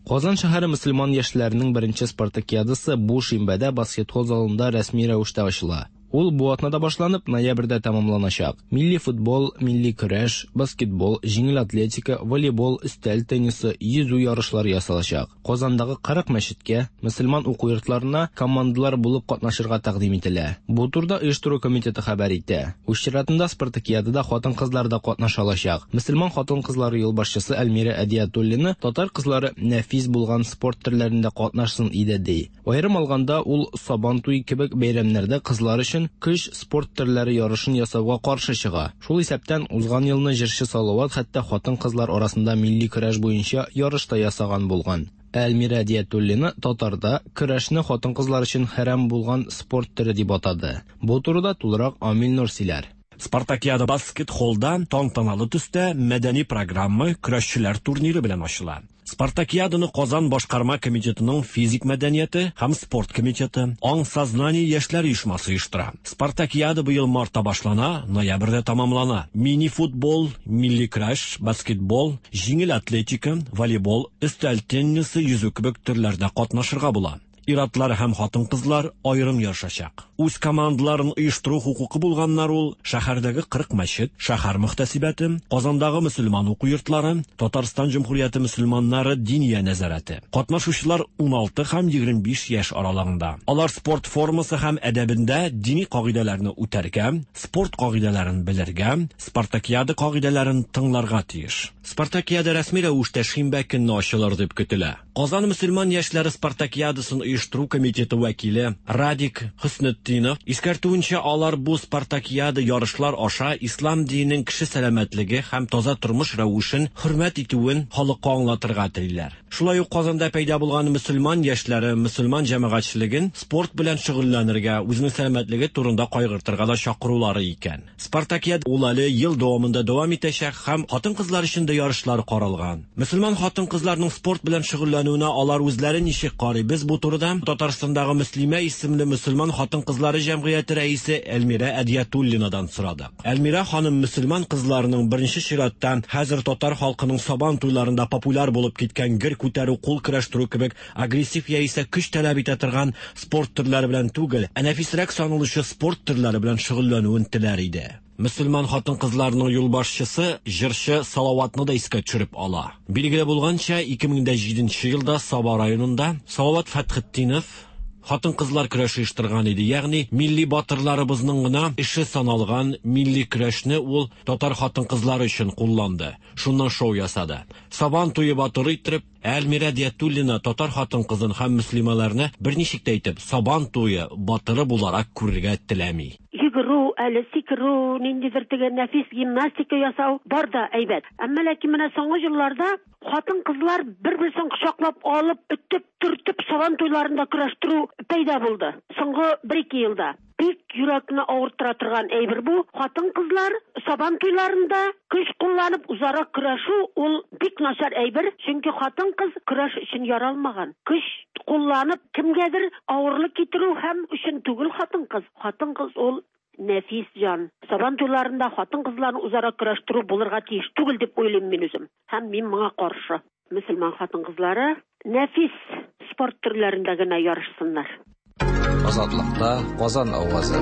Казан шәһәре мөселман яшьләренең беренче спартакиадасы бу шимбәдә баскетбол залында рәсми рәвештә ачыла. Ул бу атнада башланып, ноябрьдә тәмамланачак. Милли футбол, милли көрәш, баскетбол, җиңел атлетика, волейбол, өстәл теннисы, йөзү ярышлары ясалачак. Казандагы 40 мәчеткә, мөселман уку йортларына командалар булып катнашырга тәкъдим ителә. Бу турыда оештыру комитеты хәбәр итә. Үз чиратында спартакиадада хатын-кызлар да катнаша алачак. Мөселман хатын-кызлары юлбашчысы Әлмирә Әдиятуллина татар кызлары нәфис булган спорт төрләрендә катнашсын иде ди. Аерым алганда, ул Сабан туе кебек бәйрәмнәрдә кызлар өчен көч спорт төрләре ярышын ясауга каршы чыга. Шул исәптән, узган елны җырчы Салават хәтта хатын-кызлар арасында милли көрәш буенча ярыш та ясаган булган. Ә Әлмирә Әдиятуллина татарда көрәшне хатын-кызлар өчен хәрам булган спорт төре дип атады. Бу турыда тулырак Амил Нур сөйләр. Спартакиада баскет-холлда тантаналы төстә мәдәни программа, көрәшчеләр турниры белән ачыла. Спартакиаданы Казан башкарма комитетының физик мәдәнияте һәм спорт комитеты, Аң сознание яшьләр оешмасы оештыра. Спартакиада быел мартта башлана, ноябрьдә тәмамлана. Мини-футбол, милли көрәш, баскетбол, җиңел атлетика, волейбол, өстәл теннисы, йөзү кебек төрләрдә катнашырга була. Ир-атлар һәм хатын-кызлар аерым ярышачак. Үз командаларын оештыру хокукы булганнар ул шәһәрдәге 40 мәчет, шәһәр мөхтәсибәте, Казандагы мөселман уку йортлары, Татарстан Җөмһүрияте мөселманнары диния нәзарәте. Катнашучылар 16 һәм 25 яшь аралыгында. Алар спорт формасы һәм әдәбендә дини кагыйдәләрне үтәргә, спорт кагыйдәләрен белергә, спартакиада кагыйдәләрен тыңларга тиеш. Спартакиада рәсми рәвештә шимбә көнне ачылыр дип көтелә. Казан мөселман яшьләре спартакиадасын оештыру комитеты вәкиле Радик Хөснетдинов искәртүенчә, алар бу спартакиада ярышлар аша ислам диненең кеше сәламәтлеге һәм таза тормыш рәвешен хөрмәт итүен халыкка аңлатырга телиләр. Шулай ук Казанда пәйда булган мөселман яшьләре мөселман җәмәгатьчелеген спорт белән шөгыльләнергә, үзенең сәламәтлеге турында кайгыртырга да чакырулары икән. Спартакиада ул әле ел дәвамында дәвам итәчәк һәм хатын-кызлар өчен дә ярышлар каралган. Мөселман хатын-кызларның спорт белән шөгыльләнүенә алар үзләре ничек карый? Без бу турыда Татарстандагы Мөслимә исемле мөселман хатын-кызлар хатын-кызлары җәмгыяте рәисе Әлмирә Әдиятуллинадан сорадык. Әлмирә ханым мөселман кызларының беренче чиратта хәзер татар халкының Сабан туйларында популяр булып киткән гер күтәрү, кул көрәштерү кебек агрессив яисә көч таләп итә торган спорт төрләре белән түгел, ә нәфисрәк саналучы спорт төрләре белән шөгыльләнүен теләр иде. Мөселман хатын-кызларының юлбашчысы җырчы Салаватны да искә төшереп ала. Билгеле булганча, 2007 елда Саба районында Салават Фәтхетдинов хатын-кызлар көрәше оештырган иде. Ягъни милли батырларыбызның гына эше саналган милли көрәшне ул татар хатын-кызлары өчен кулланды. Шуннан шоу ясады. Сабан туе батыры иттереп, Әлмирә Диятуллина татар хатын-кызын һәм мөслимәләрне берничек тә итеп Сабан туе батыры буларак күрергә теләми. Йөгерү, әле сикерү, ниндидер теге нәфис гимнастика ясау бар да әйбәт. Әмма ләкин менә соңгы елларда хатын-кызлар бер-берсен кочаклап алып, өтеп, төртеп сабан туйларында көрәштерү пәйда булды. Соңгы бер-ике елда. Бик йөрәкне авырттыра торган әйбер бу. Хатын-кызлар сабан туйларында көч кулланып үзара көрәшү ул бик начар әйбер, чөнки хатын-кыз көрәш өчен яралмаган. Көч кулланып кемгәдер авырлык китерү һәм өчен түгел хатын-кыз. Хатын-кыз ул нәфис җан. Сабан туйларында хатын-кызларны үзара көрәштерү булырга тиеш түгел дип уйлыйм мин үзем. Һәм мин моңа каршы. Мөселман хатын-кызлары нәфис спорт төрләрендә генә ярышсыннар. Азатлыкта Казан авазы.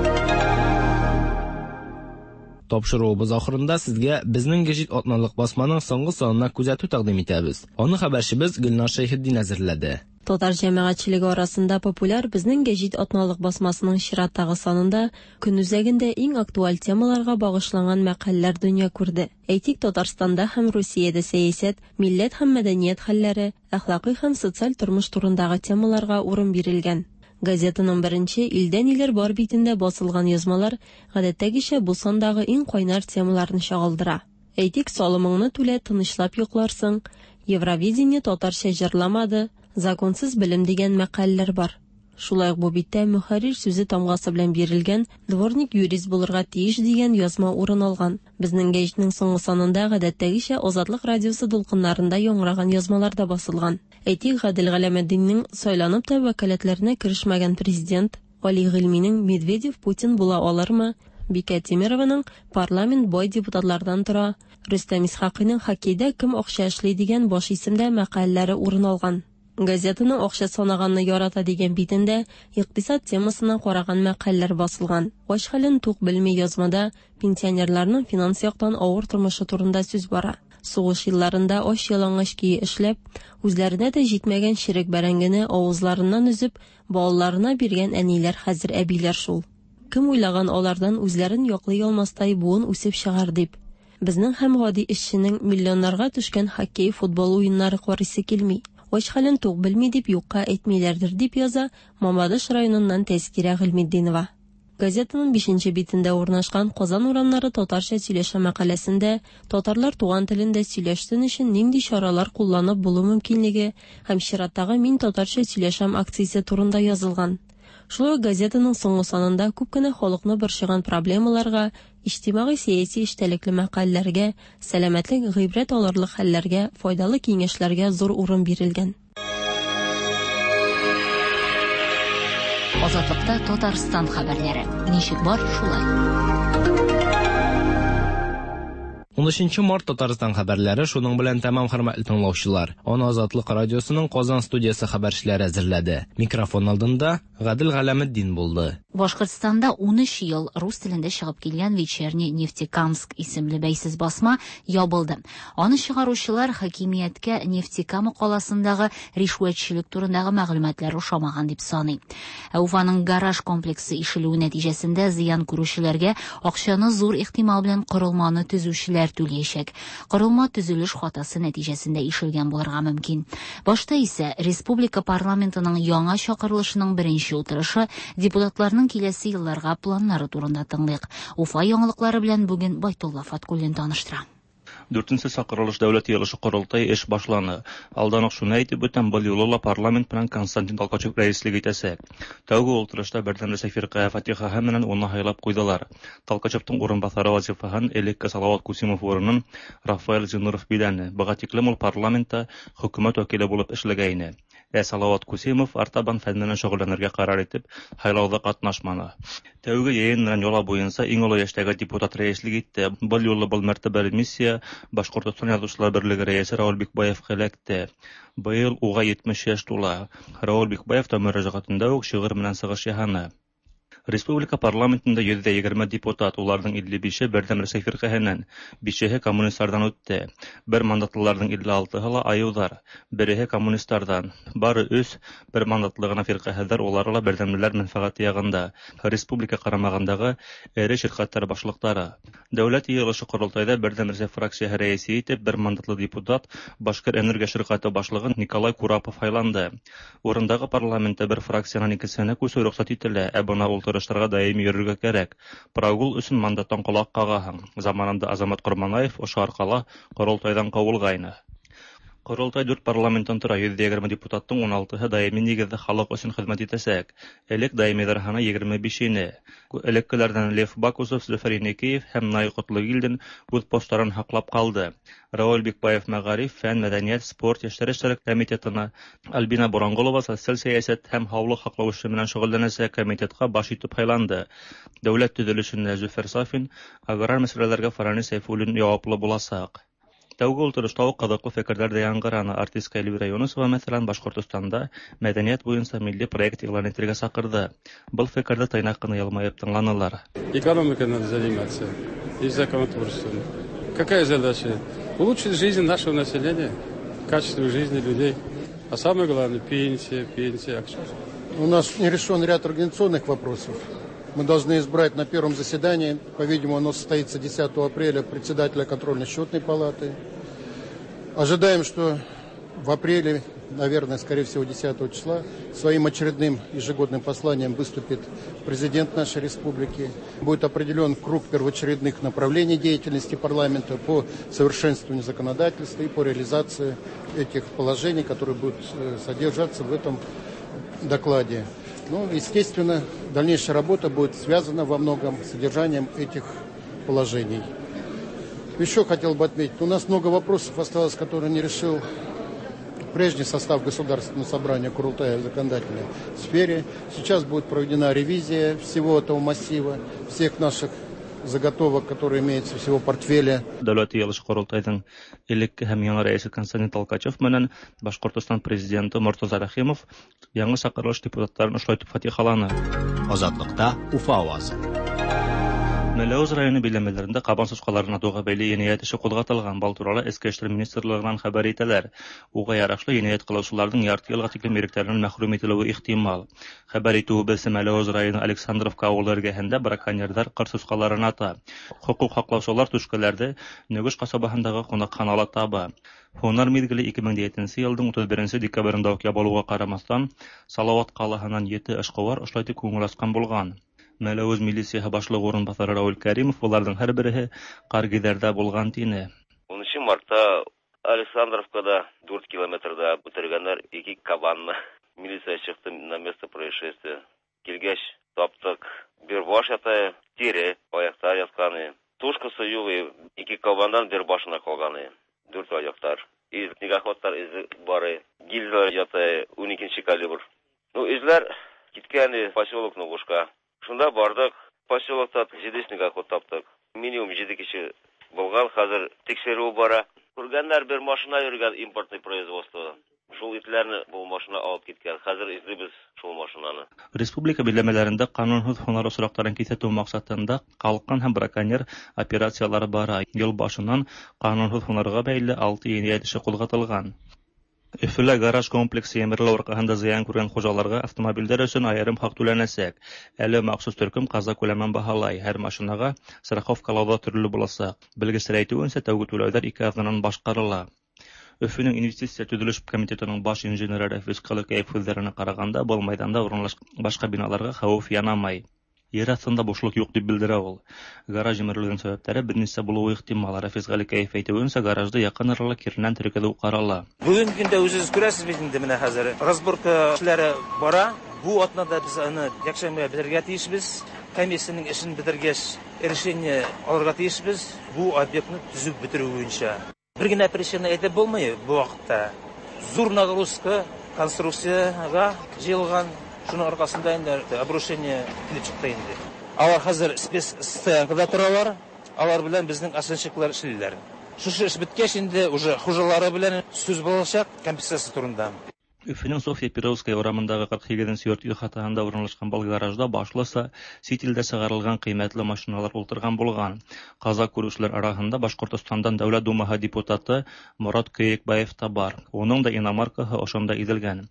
Тапшыруыбыз ахырында сезгә безнең гәҗит атналык басманың соңгы санына күзәтү тәкъдим итәбез. Аны хәбәрчебез Гөлнар Шәйхетдин әзерләде. Татар җәмәгатьчелеге арасында популяр безнең гәҗит атналык басмасының чираттагы санында көн үзәгендә иң актуаль темаларга багышланган мәкаләләр дөнья күрде. Әйтик, Татарстанда һәм Русиядә сәясәт, милләт һәм мәдәният хәлләре, әхлакый һәм социаль тормыш турындагы темаларга урын бирелгән. Газетаның беренче илдә ниләр бар битендә басылган язмалар гадәттәгечә бу сандагы иң кайнар темаларны чагылдыра. Әйтик, салымыңны түлә, тынычлап йокларсың, Евровидение татарча җырламады, законсыз белем дигән мәкаләләр бар. Шулай ук бу биттә мөхәррир сүзе тамгасы белән бирелгән дворник юрист булырга тиеш дигән язма урын алган. Безнең гәҗитнең соңгы санында гадәттәгечә Азатлык радиосы дулкыннарында яңгыраган язмалар да басылган. Әйтик, Гадел Галәметдиннең сайланып та вәкаләтләренә керешмәгән президент, Али Гыйльминең Медведев Путин була алырмы, Бикә Тимерованың парламент бай депутатлардан тора, Рөстәм Исхакыйның хоккейда кем акча эшли дигән баш исемдә мәкаләләре урын алган. Газетаның акча санаганны ярата дигән битендә икътисад темасына караган мәкаләләр басылган. Ач хәлен тук белми язмада пенсионерларның финанс яктан авыр тормышы турында сүз бара. Сугыш елларында ач ялангач көе эшләп, үзләренә дә җитмәгән черек бәрәңгене авызларыннан өзеп, балаларына биргән әниләр хәзер әбиләр шул. Кем уйлаган алардан үзләрен яклый алмастай буын үсеп чыгар дип. Безнең һәм гади эшченең миллионнарга төшкән хоккей, футбол уеннары карыйсы килми. Ач хәлен тук белми дип юкка әйтмиләрдер, дип яза Мамадыш районыннан Тәзкирә Гыйльметдинова. Газетаның бишенче битендә урнашкан Казан урамнары татарча сөйләшә мәкаләсендә татарлар туган телендә сөйләшсен өчен нинди чаралар кулланып булу мөмкинлеге һәм чираттагы Мин татарча сөйләшәм акциясе турында язылган. Шулай ук газетаның соңгы санында күп кенә халыкны борчыган проблемаларга, иҗтимагый-сәяси эчтәлекле мәкаләләргә, сәламәтлек, гыйбрәт алырлык хәлләргә, файдалы киңәшләргә зур урын бирелгән. Азатлыкта Татарстан хәбәрләре. Ничек бар, шулай. 13 март Татарстан хәбәрләре шуның белән тәмам, хөрмәтле тыңлаучылар. Аны Азатлык радиосының Казан студиясе хәбәрчеләре әзерләде. Микрофон алдында Гадел Галәметдин булды. Башкортстанда 13 ел рус телендә чыгып килгән Вечерний Нефтекамск исемле бәйсез басма ябылды. Аны чыгаручылар хакимияткә Нефтекама каласындагы ришвәтчелек турындагы мәгълүматлар ошамаган дип саный. Ә Уфаның гараж комплексы ишелүе нәтиҗәсендә зыян күрүчеләргә акчаны зур ихтимал белән корылманы төзүчеләр түләячәк. Корылма төзелеш хатасы нәтиҗәсендә ишелгән булырга мөмкин. Башта исә республика парламентының яңа чакырылышының беренче утырышы депутатларның киләсе елларга планнары турында тыңлыйк. Уфа яңалыклары белән бүген Байтулла Фаткуллин таныштыра. Дүртенче чакырылыш дәүләт йыелышы корылтай эш башланы. Алдан ук шуны әйтеп үтәм, был юлы ла парламент белән Константин Толкачев рәислек итәчәк. Тәүге ултырышта Бердәм Рәсәй фиркае фатихаһы менән уны һайлап куйдылар. Толкачевтың урынбасары вазифаһын элекке Салават Кусимов урынын Рафаэль Зиннуров биләне. Быга тиклем ул парламентта хөкүмәт вәкиле булып эшләгәйне. Ә Салават Кусимов артабан фән белән шөгыльләнергә карар итеп, һайлауда катнашманы. Тәүге йыйын менән йола буенча иң олы яшьтәге депутат рәислек итте. Был юлы был мәртәбәле миссия Башкортостан Язучылар берлеге рәисе Рауль Бикбаевка эләкте. Быел уга 70 яшь тула. Рауль Бикбаев та мөрәҗәгатендә үк шигырь белән чыгыш яһаны. Республика парламентында 120 депутат, уларның 55-е Бердәм Рәсәй фирҡәһенән, бишеһе коммунистлардан үтте. Бер мандатлыларҙың 56-һы ла айыуҙар, береһе коммунистларҙан. Бары өс бер мандатлы ғына фирҡәһеҙҙәр, улары ла берҙәмлеләр мәнфәғәте яғында. Республика ҡарамағындағы эре ширҡәттәр башлыҡтары. Дәүләт йыйылышы ҡоролтайҙа Берҙәм Рәсәй фракцияһы рәйесе итеп бер мандатлы депутат Башкир энергия ширҡәте башлығы Николай Курапов һайланды. Урындағы парламентта бер фракциянан икенсеһенә күсеү рөхсәт ителә, ә бына ултырыштарға даими йөрөргә кәрәк. Прогул өсөн мандаттан ҡолаҡ ҡағаһың. Заманында Азамат Ҡорманаев ошо арҡала ҡоролтайҙан ҡыуылғайны. Ҡоролтай дүрт парламенттан тора, 120 депутаттың 16-һы даими нигеҙҙә халыҡ өсөн хеҙмәт итәсәк. Элек даимиҙәр һаны 25 ине. Элеккеләрҙән Лев Бакусов, Зөфәр Еникеев һәм Наил Ҡотлогилдин үҙ посттарын һаҡлап ҡалды. Рауил Бикбаев мәғариф, фән, мәҙәниәт, спорт, йәштәр эштәре комитетына, Альбина Боранғолова социаль сәйәсәт һәм һаулыҡ һаҡлау эше менән шөғөлләнәсәк комитетҡа баш итеп һайланды. Дәүләт төҙөлөшөнә Зөфәр Сафин, аграр мәсьәләләргә Фаранис Сәйфуллин яуаплы буласаҡ. Тәүге ултырышта уҡ ҡыҙыҡлы фекерҙәр ҙә яңғыраны. Артистка Эльвира Юнысова, мәҫәлән, Башҡортостанда мәҙәниәт буйынса милли проект иғлан итергә саҡырҙы. Был фекерҙе тыйнаҡ ҡына йылмайып тыңланылар. Экономикой надо заниматься и законотворчеством. Какая задача? Улучшить жизнь нашего населения, качество жизни людей. А самое главное – пенсия, пенсия. У нас не решен ряд организационных вопросов. Мы должны избрать на первом заседании, по-видимому, оно состоится 10 апреля, председателя контрольно-счетной палаты. Ожидаем, что в апреле, наверное, скорее всего, 10 числа, своим очередным ежегодным посланием выступит президент нашей республики. Будет определен круг первоочередных направлений деятельности парламента по совершенствованию законодательства и по реализации этих положений, которые будут содержаться в этом докладе. Ну, естественно, дальнейшая работа будет связана во многом с содержанием этих положений. Еще хотел бы отметить, у нас много вопросов осталось, которые не решил прежний состав Государственного собрания Курултая в законодательной сфере. Сейчас будет проведена ревизия всего этого массива, всех наших заготовок, которые имеются всего портфеля. Дәүләт йыйылышы ҡоролтайҙың элекке һәм яңы рәйесе Константин Толкачев менән Башҡортостан президенты Мортаза Рәхимов яңы саҡырылыш депутаттарын ошолай итеп фатихаланы. Азатлыкта Уфа авазы. Мәләүез районы биләмәләрендә кабан сусҡаларын атыуға бәйле енәйәт эше ҡуҙғатылған. Был турала Эске эштәр министрлығынан хәбәр итәләр. Уға ярашлы енәйәт ҡылыусыларҙың ярты йылға тиклем иректәренән мәхрүм ителеүе ихтимал. Хәбәр итеүебеҙсә, Мәләүез районы Александровка ауылы эргәһендә браконьерҙар ҡыр сусҡаларын ата. Хоҡуҡ һаҡлаусылар түшкәләрҙе Нөгөш ҡасабаһындағы ҡунаҡханала таба. Һунар миҙгеле 2007 йылдың 31 декабрендә үк ябылыуға ҡарамаҫтан, Салауат ҡалаһынан 7 эшҡыуар ошолай итеп күңел асҡан булған. Мәләүез милицияһы башлығы урынбаҫары Рауил Кәримов уларҙың һәр береһе ҡаргиҙәрҙә булған тине. 10 мартта Александровкада 4 километрда үтергәндәр 2 кабанны. Милиция сыҡты на место происшествия. Килгәс таптыҡ. Бер баш ята, тире, аяҡтар ятҡаны. Тушкасы юҡ, 2 кабандан бер башына ҡалғаны. 4 аяҡтар. Из снегоходтар изе бары. Гильзалар ята, 12 калибр. Ну, эҙләр киткәне поселок Ногушка. Шунда бардык, поселокта 7 снегоход таптык. Минимум 7 кеше булган, хәзер тикшерү бара. Күргәннәр бер машина йөргән импортный производство. Шул итләрне бу машина алып киткән. Хәзер эзлибез шул машинаны. Республика биләмәләрендә ҡанунһыҙ һунар осраҡтарын киҫәтеү маҡсатында ҡалҡан һәм браконьер операциялары бара. Йыл башынан ҡанунһыҙ һунарға бәйле 6 енәйәт эше ҡуҙғатылған. Өфөлә гараж комплексы емерелеү арҡаһында зыян күргән хужаларға автомобилдәр өсөн айырым хаҡ түләнәсәк. Әле махсус төркөм ҡаза күләмен баһалай. Һәр машинаға страховкалау ҙа төрлө буласаҡ. Белгестәр әйтеүенсә, тәүге түләүҙәр 2 аҙнанан башҡарыла. Өфөнөң инвестиция төҙөлөш комитетының баш инженеры Рәфис Ҡылыкәев һүҙҙәренә ҡарағанда, был майҙанда урынлашҡан башҡа биналарға хәүеф янамай. Ер аҫтында бушлыҡ юҡ тип белдерә ул. Гараж емерелеүҙең сәбәптәре бер нисә булыуы ихтимал. Рәфис Ғәликәев әйтеүенсә, гаражды яҡын арала киренән тергеҙеү ҡарала. Бөгөнгө көндә үҙегеҙ күрәсез бит инде, менә хәзер разборка эшләре бара. Бу атнада без аны якшәмбегә бетерергә тейешбез. Комиссияның эшен бетергәс, решение алырға тейешбез бу объектны төзеп бетерү буенча. Бер генә причина әйтеп булмый бу вакытта. Зур нагрузка конструкциягә җыелган, шуның аркасында инде обрушение килеп чыкты инде. Алар хәзер спецстоянкада торалар, алар белән безнең оценщиклар эшлиләр. Шушы эш беткәч инде уже хуҗалары белән сүз булачак компенсация турында. Өфенең Софья Перовская урамындагы 48 нче йорт ихатаһында урынлашкан был гаражда башлыса чит илдә чыгарылган кыйммәтле машиналар ултырган булган. Каза күрүчеләр араһында Башкортостандан Дәүләт Думаһы депутаты Морат Көекбаев та бар. Уның да иномаркаһы ошонда изелгән.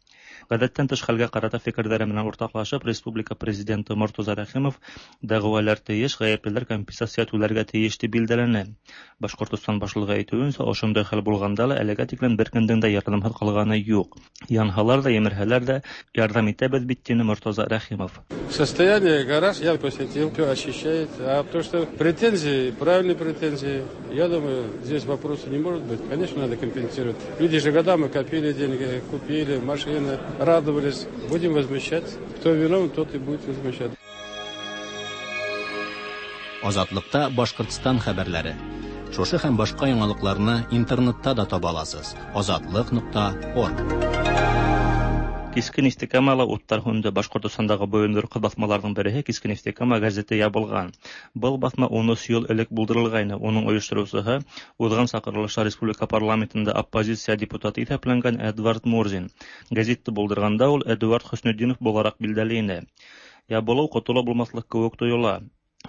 Гадәттән тыш хәлгә карата фикерләре менән уртаклашып, республика президенты Мортаза Рәхимов дәгъвалар тиеш, гаеплеләр компенсация түләргә тиеш дип билдәләне. Башкортостан башлыгы әйтүенчә, ошондай хәл булганда ла әлегә тиклем беркемдең дә ярдәмһеҙ ҡалғаны юҡ. Янһалар ҙа, емерһәләр ҙә, ярҙам итәбеҙ бит, тине Мортаза Рәхимов. Состояние гараж я посетил, все очищает. А то, что претензии, правильные претензии, я думаю, здесь вопроса не может быть. Конечно, надо компенсировать. Люди же годами копили деньги, купили машины, радовались. Будем возмещать. Кто виновен, тот и будет возмещать. Азатлыкта Башкортстан хәбәрләре. Шушы һәм башка яңалыкларны интернетта да таба аласыз. Азатлык.орг. Киске Нефтекамала уттар һүнде. Башҡортостандағы бойондорҡо баҫмаларҙың береһе Киске Нефтекама гәзите ябылған. Был баҫма 13 йыл элек булдырылғайны. Уның ойоштороусыһы уҙған саҡырылышта республика парламентында оппозиция депутаты иҫәпләнгән Эдвард Мурзин. Гәзитте булдырғанда ул Эдуард Хөснетдинов булараҡ билдәле ине. Ябылыу ҡотола булмаҫлыҡ кеүек тойола.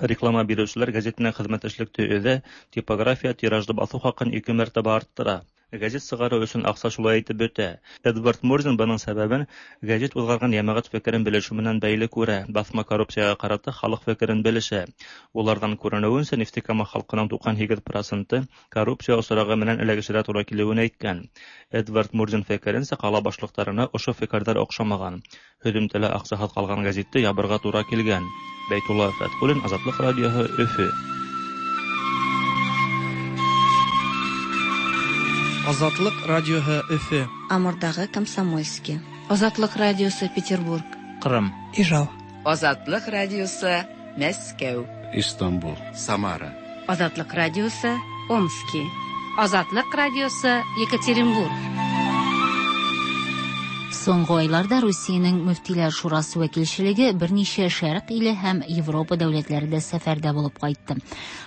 Реклама биреүселәр гәзит менән хеҙмәттәшлекте өҙә, типография тиражды баҫыу хаҡын 2 мәртәбә арттыра. Гәзит сығарыу өсөн аҡса шулай итеп бөтә. Эдвард Мурзин бының сәбәбен гәзит уҙғарған йәмәғәт фекерен белешеү менән бәйле күрә. Баҫма коррупцияға ҡарата халыҡ фекерен белешә. Уларҙан күренеүенсә, Нефтекама халҡының 98% коррупция осрағы менән эләгешергә тура килеүен әйткән. Эдвард Мурзин фекеренсә, ҡала башлыҡтарына ошо фекерҙәр оҡшамаған. Һөҙөмтәлә аҡсаһыҙ ҡалған гәзитте ябырға тура килгән. Бәйтулла Фәтхуллин, Азатлыҡ радиоһы, Өфө. Азатлык радиоһы Өфө. Амурдагы Комсомольский. Азатлык радиосы Петербург. Кырым. Ижау. Азатлык радиосы Мәскәү. Истанбул. Самара. Азатлык радиосы Омски. Азатлык радиосы Екатеринбург. Соңгы айларда Русиянең Мөфтиләр шурасы вәкилчелеге берничә шәрык иле һәм Европа дәүләтләрендә сәфәрдә булып кайтты.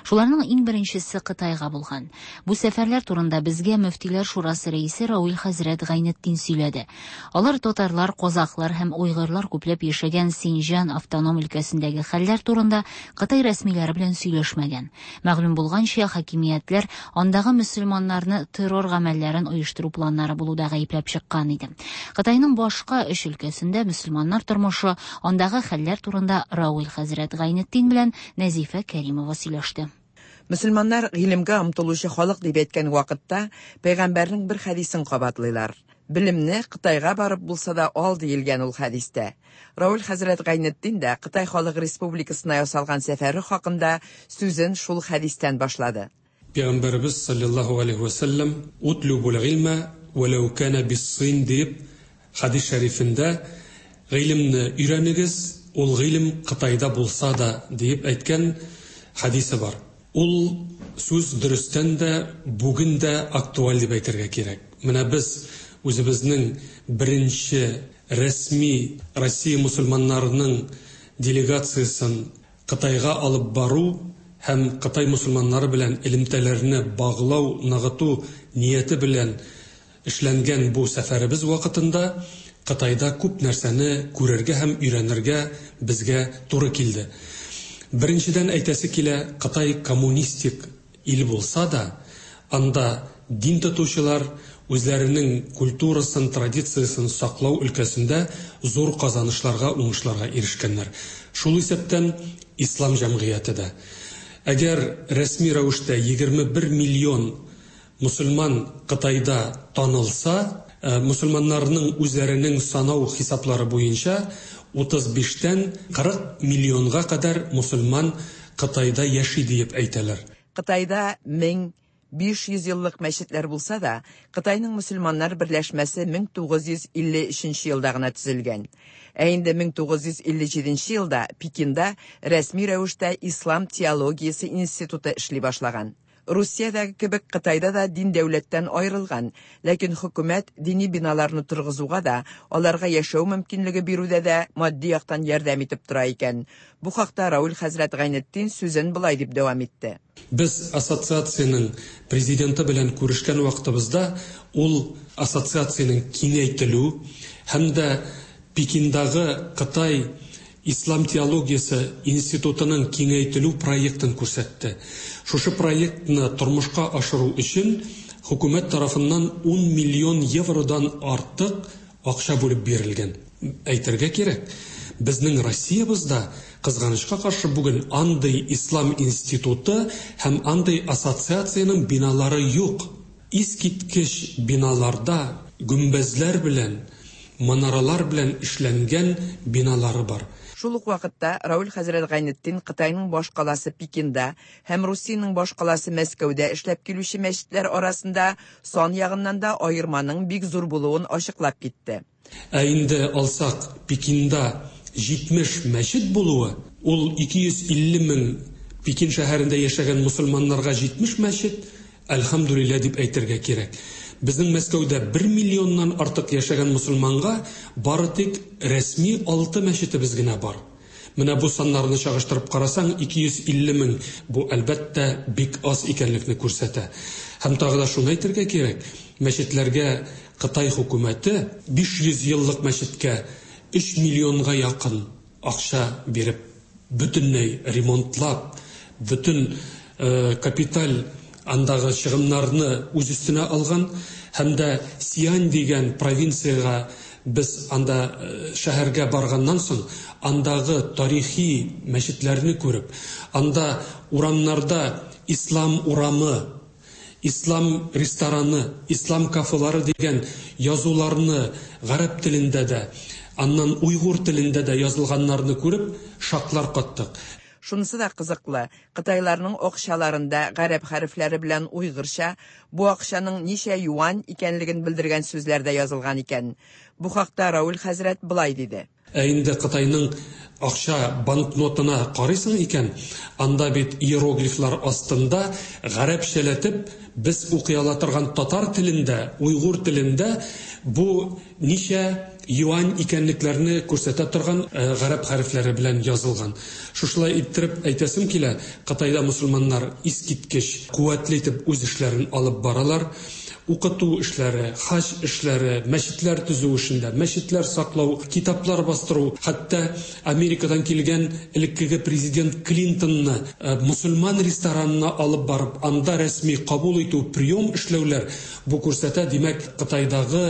Шуларның иң беренчесе Кытайга булган. Бу сәфәрләр турында безгә Мөфтиләр шурасы рәисе Рауил хәзрәт Гайнетдин сөйләде. Алар татарлар, казахлар һәм уйгырлар күпләп яшәгән Синҗан автоном өлкәсендәге хәлләр турында Кытай рәсмиләре белән сөйләшмәгән. Мәгълүм булганча, хакимиятләр андагы мөселманнарны террор гамәлләрен оештыру планнары булуда гаепләп чыккан иде. Кытайның башка өч өлкәсендә мөселманнар тормышы, андагы хәлләр турында Рауил хәзрәт Гайнетдин белән Нәзифә Кәримова сөйләште. Мөселманнар гыйлемгә омтылучы халык дип әйткән вакытта пәйгамбәрнең бер хәдисен кабатлыйлар. Белемне Кытайга барып булса да ал диелгән ул хәдистә. Рауил хәзрәт Гайнетдин дә Кытай халык республикасына ясалган сәфәре хакында сүзен шул хәдистән башлады. Пәйгамбәребез саллаллаһу алейхи ва саллям утлубул гыйльма валау кана бис-син дип хадис шәрифендә гыйлемне өйрәнегез, ул гыйлем Кытайда булса да дип әйткән хадисе бар. Ул сүз дөрестән дә бүген дә актуаль дип әйтергә кирәк. Менә без үзебезнең беренче рәсми Россия мусульманнарының делегациясын Кытайга алып бару һәм Кытай мусульманнары белән элемтәләрне баглау, ныгыту нияте белән эшләнгән бу сәфәребез вакытында Кытайда күп нәрсәне күрергә һәм өйрәнергә безгә туры килде. Беренчедән әйтәсе килә, Кытай коммунистик ил булса да, анда дин тотучылар үзләренең культурасын, традициясын саклау өлкәсендә зур казанышларга, уңышларга ирешкәннәр. Шул исәптән ислам җәмгыяте дә. Әгәр рәсми рәвештә 21 миллион мусульман Кытайда танылса, мусульманнарның үзләренең санау хисаплары буенча 35-тән 40 миллионга кадәр мусульман Кытайда яши диеп әйтәләр. Кытайда 1500 еллык мәчетләр булса да, Кытайның мусульманнар берләшмәсе 1953 елда гына төзелгән. Ә инде 1957 елда Пекинда рәсми рәвештә Ислам теологиясе институты эшли башлаган. Русиядәге кебек Кытайда да дин дәүләттән аерылган, ләкин хөкүмәт дини биналарны торгызуга да, аларга яшәү мөмкинлеге бирүдә дә матди яктан ярдәм итеп тора икән. Бу хакта Равил хәзрәт Гайнетдин сүзен болай дип дәвам итте. Без ассоциациянең президенты белән күрешкән вакытыбызда ул ассоциациянең киңәйтелү һәм дә Пекиндагы Кытай ислам теологиясе институтының киңәйтелү проектын күрсәтте. Шушы проектны тормышка ашыру өчен хөкүмәт тарафыннан 10 миллион евродан артык акча бүлеп бирелгән. Әйтергә кирәк, безнең Россиябездә, кызганычка каршы, бүген андый ислам институты һәм андый ассоциациянең биналары юк. Искиткеч биналарда гөмбәзләр белән, манаралар белән эшләнгән биналары бар. Шул ук вакытта Равил хәзрәт Гайнетдин Кытайның башкаласы Пекинда һәм Русиянең башкаласы Мәскәүдә эшләп килүче мәчетләр арасында сан ягыннан да аерманың бик зур булуын ачыклап китте. Ә инде алсак, Пекинда 70 мәчет булуы, ул 250 мең Пекин шәһәрендә яшәгән мосылманнарга 70 мәчет, әлхәмдүлилләһ дип әйтергә кирәк. Безнең Мәскәүдә бер миллионнан артык яшәгән мосылманга бары тик рәсми алты мәчетебез генә бар. Менә бу саннарны чагыштырып карасаң, 250 мең, бу, әлбәттә, бик аз икәнлекне күрсәтә. Һәм тагы да шуны әйтергә кирәк, мәчетләргә Кытай хөкүмәте 500 еллык мәчеткә өч миллионга якын акча биреп, бөтенләй ремонтлап, бөтен капиталь андагы чыгымнарны үз өстенә алган һәм дә Сиань дигән провинциягә без анда шәһәргә барганнан соң, андагы тарихи мәчетләрне күреп, анда урамнарда Ислам урамы, Ислам рестораны, Ислам кафелары дигән язуларны гарәп телендә дә, аннан уйгур телендә дә язылганнарны күреп, шаклар каттык. Шунысы да кызыклы, кытайларның акчаларында гарәп хәрефләре белән уйгырча бу акчаның ничә юань икәнлеген белдергән сүзләр дә язылган икән. Бу хакта Равил хәзрәт болай диде. Ә инде Кытайның акча банкнотына карыйсың икән, анда бит иероглифлар астында гарәпчәләтеп без укый ала торган татар телендә, уйгур телендә бу ничә юань икәнлекләрне күрсәтә торган гарәп хәрефләре белән язылган. Шушылай иттереп әйтәсем килә, Кытайда мосылманнар искиткеч куәтле итеп үз эшләрен алып баралар. Укыту эшләре, хаҗ эшләре, мәчетләр төзү эшендә, мәчетләр саклау, китаплар бастыру, хәтта Америкадан килгән элеккеге президент Клинтонны мосылман ресторанына алып барып, анда рәсми кабул итү, прием эшләүләр, бу күрсәтә, димәк, Кытайдагы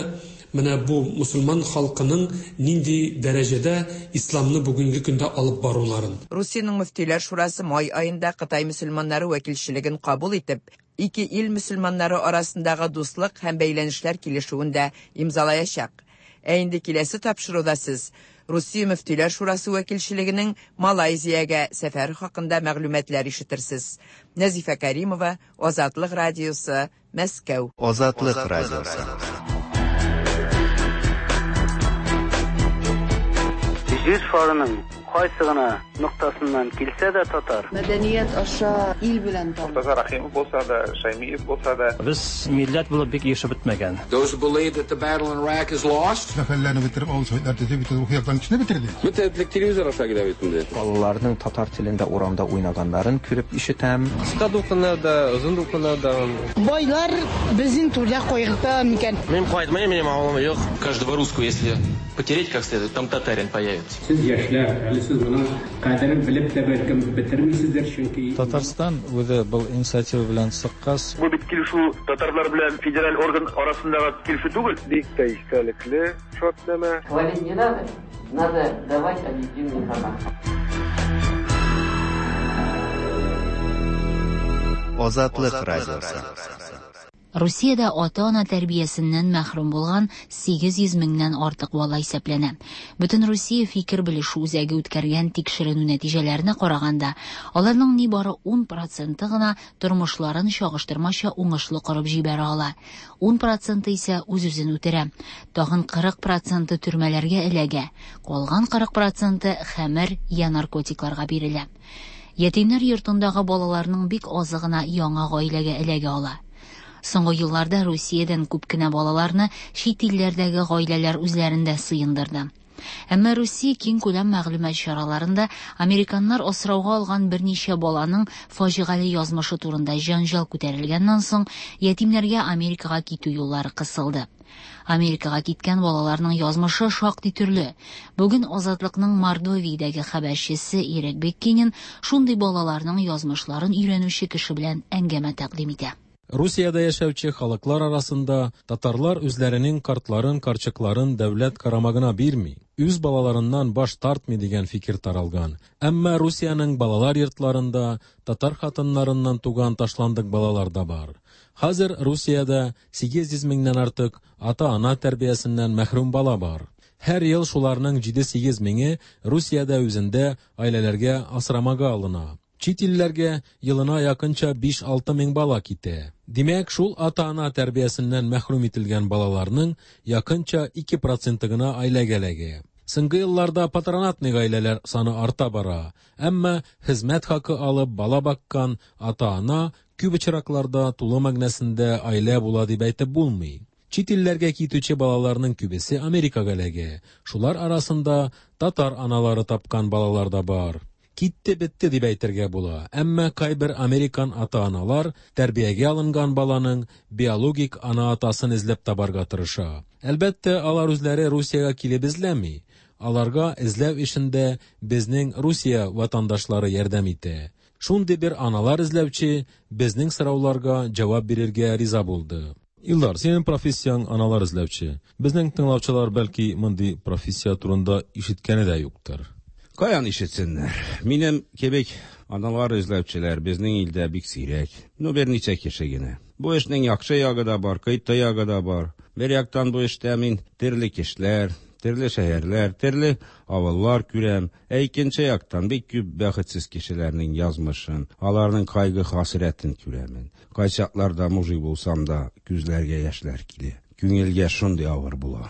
менә бу мосылман халкының нинди дәрәҗәдә исламны бүгенге көндә алып баруларын. Русиянең мөфтиләр шурасы май аенда Кытай мөселманнары вәкилчелеген кабул итеп, ике ил мөселманнары арасындагы дуслык һәм бәйләнешләр килешүен дә имзалаячак. Ә инде киләсе тапшыруда сез Русия мөфтиләр шурасы вәкилчелегенең Малайзиягә сәфәре хакында мәгълүматлар ишетерсез. Нәзифә Кәримова, Азатлык радиосы, Мәскәү. Азатлык радиосы. Җир шарының кайсы гына ноктасыннан килсә дә татар. Мәдәният аша ил белән таныш. Мортаза Рәхимов булса да, Шәймиев булса да. Без милләт булып бик ирешеп бетмәгән. Those who believe that the battle in Iraq is lost. Сәфәрләрне бетереп, авыл советлар төзеп, бөтен рухи яктан көчне бетерде. Бөтен телевизор аша килә бит инде. Балаларның татар телендә урамда уйнаганнарын күреп ишетәм. Кыска дулкыннар да, озын дулкыннар да. Байлар безнең турда кайгырта микән? Мин кайтмыйм, минем авылым юк. Каждого русского, если потереть как следует, там татарин появится. Сез яшьләр, әле сез моның кадерен белеп тә бәлкем бетермисездер, чөнки Татарстан үзе был инициатива белән чыккач, Бу бит килешү татарлар белән федераль орган арасындагы килешү түгел. Бик тә истәлекле шартнамә. Хвалить не надо, надо давать объективную информацию. Азатлык радиосы. Русиядә ата-ана тәрбиясеннән мәхрүм булган 800 меңнән артык бала исәпләнә. Бөтенрусия фикер белешү үзәге үткәргән тикшеренү нәтиҗәләренә караганда, аларның нибары 10 проценты гына тормышларын чагыштырмача уңышлы корып җибәрә ала. 10 проценты исә үз-үзен үтерә. Тагын 40 проценты төрмәләргә эләгә. Калган 40 проценты хәмер я наркотикларга бирелә. Ятимнәр йортындагы балаларның бик азы гына яңа гаиләгә эләгә ала. Соңгы елларда Русиядән күп кенә балаларны чит илләрдәге гаиләләр үзләрендә сыендырды. Әмма Русия киңкүләм мәгълүмат чараларында американнар асрауга алган берничә баланың фаҗигале язмышы турында җәнҗал күтәрелгәннән соң, ятимнәргә Америкага китү юллары кысылды. Америкага киткән балаларның язмышы шактый төрле. Бүген Азатлыкның Мордовиядәге хәбәрчесе Ирек Беккинин шундый балаларның язмышларын өйрәнүче кеше белән әңгәмә тәкъдим итә. Русиядә яшәүче халыклар арасында татарлар үзләренең картларын, карчыкларын дәүләт карамагына бирми, үз балаларыннан баш тартмый дигән фикер таралган. Әмма Русиянең балалар йортларында татар хатыннарыннан туган ташландык балалар да бар. Хәзер Русиядә 800 меңнән артык ата-ана тәрбиясеннән мәхрүм бала бар. Һәр ел шуларның 7-8 меңе Русиядә үзендә гаиләләргә асрамага алына. Чит илләргә елына якынча 5-6 мең бала китә. Димәк, шул ата-ана тәрбиясеннән мәхрүм ителгән балаларның якынча 2 проценты гына гаиләгә эләгә. Соңгы елларда патронатный гаиләләр саны арта бара. Әмма хезмәт хакы алып бала баккан ата-ана күп очракларда тулы мәгънәсендә гаилә була дип әйтеп булмый. Чит илләргә китүче балаларның күбесе Америкага эләгә. Шулар арасында татар аналары тапкан балалар да бар. Китте бетте дип әйтергә була. Әмма кайбер американ ата-аналар тәрбиягә алынган баланың биологик ана-атасын эзләп табарга тырыша. Әлбәттә, алар үзләре Русиягә килеп эзләми. Аларга эзләү эшендә безнең Русия ватандашлары ярдәм итә. Шундый бер аналар эзләүче безнең сорауларга җавап бирергә риза булды. Илдар, синең профессияң аналар эзләүче. Безнең тыңлаучылар бәлки мондый профессия турында ишеткәне дә юктыр. Каян ишетсеннәр? Минем кебек аналар эзләүчеләр безнең илдә бик сирәк. Ну, берничә кеше генә. Бу эшнең яхшы ягы да бар, кыйты ягы да бар. Бер яктан бу эштә мин төрле кешеләр, төрле шәһәрләр, төрле авыллар күрәм. Ә икенче яктан бик күп бәхетсез кешеләрнең язмышын, аларның кайгы-хәсрәтен күрәмен. Кайчакларда мужик булсам да, күзләргә яшьләр килә. Күңелгә шундый авыр була.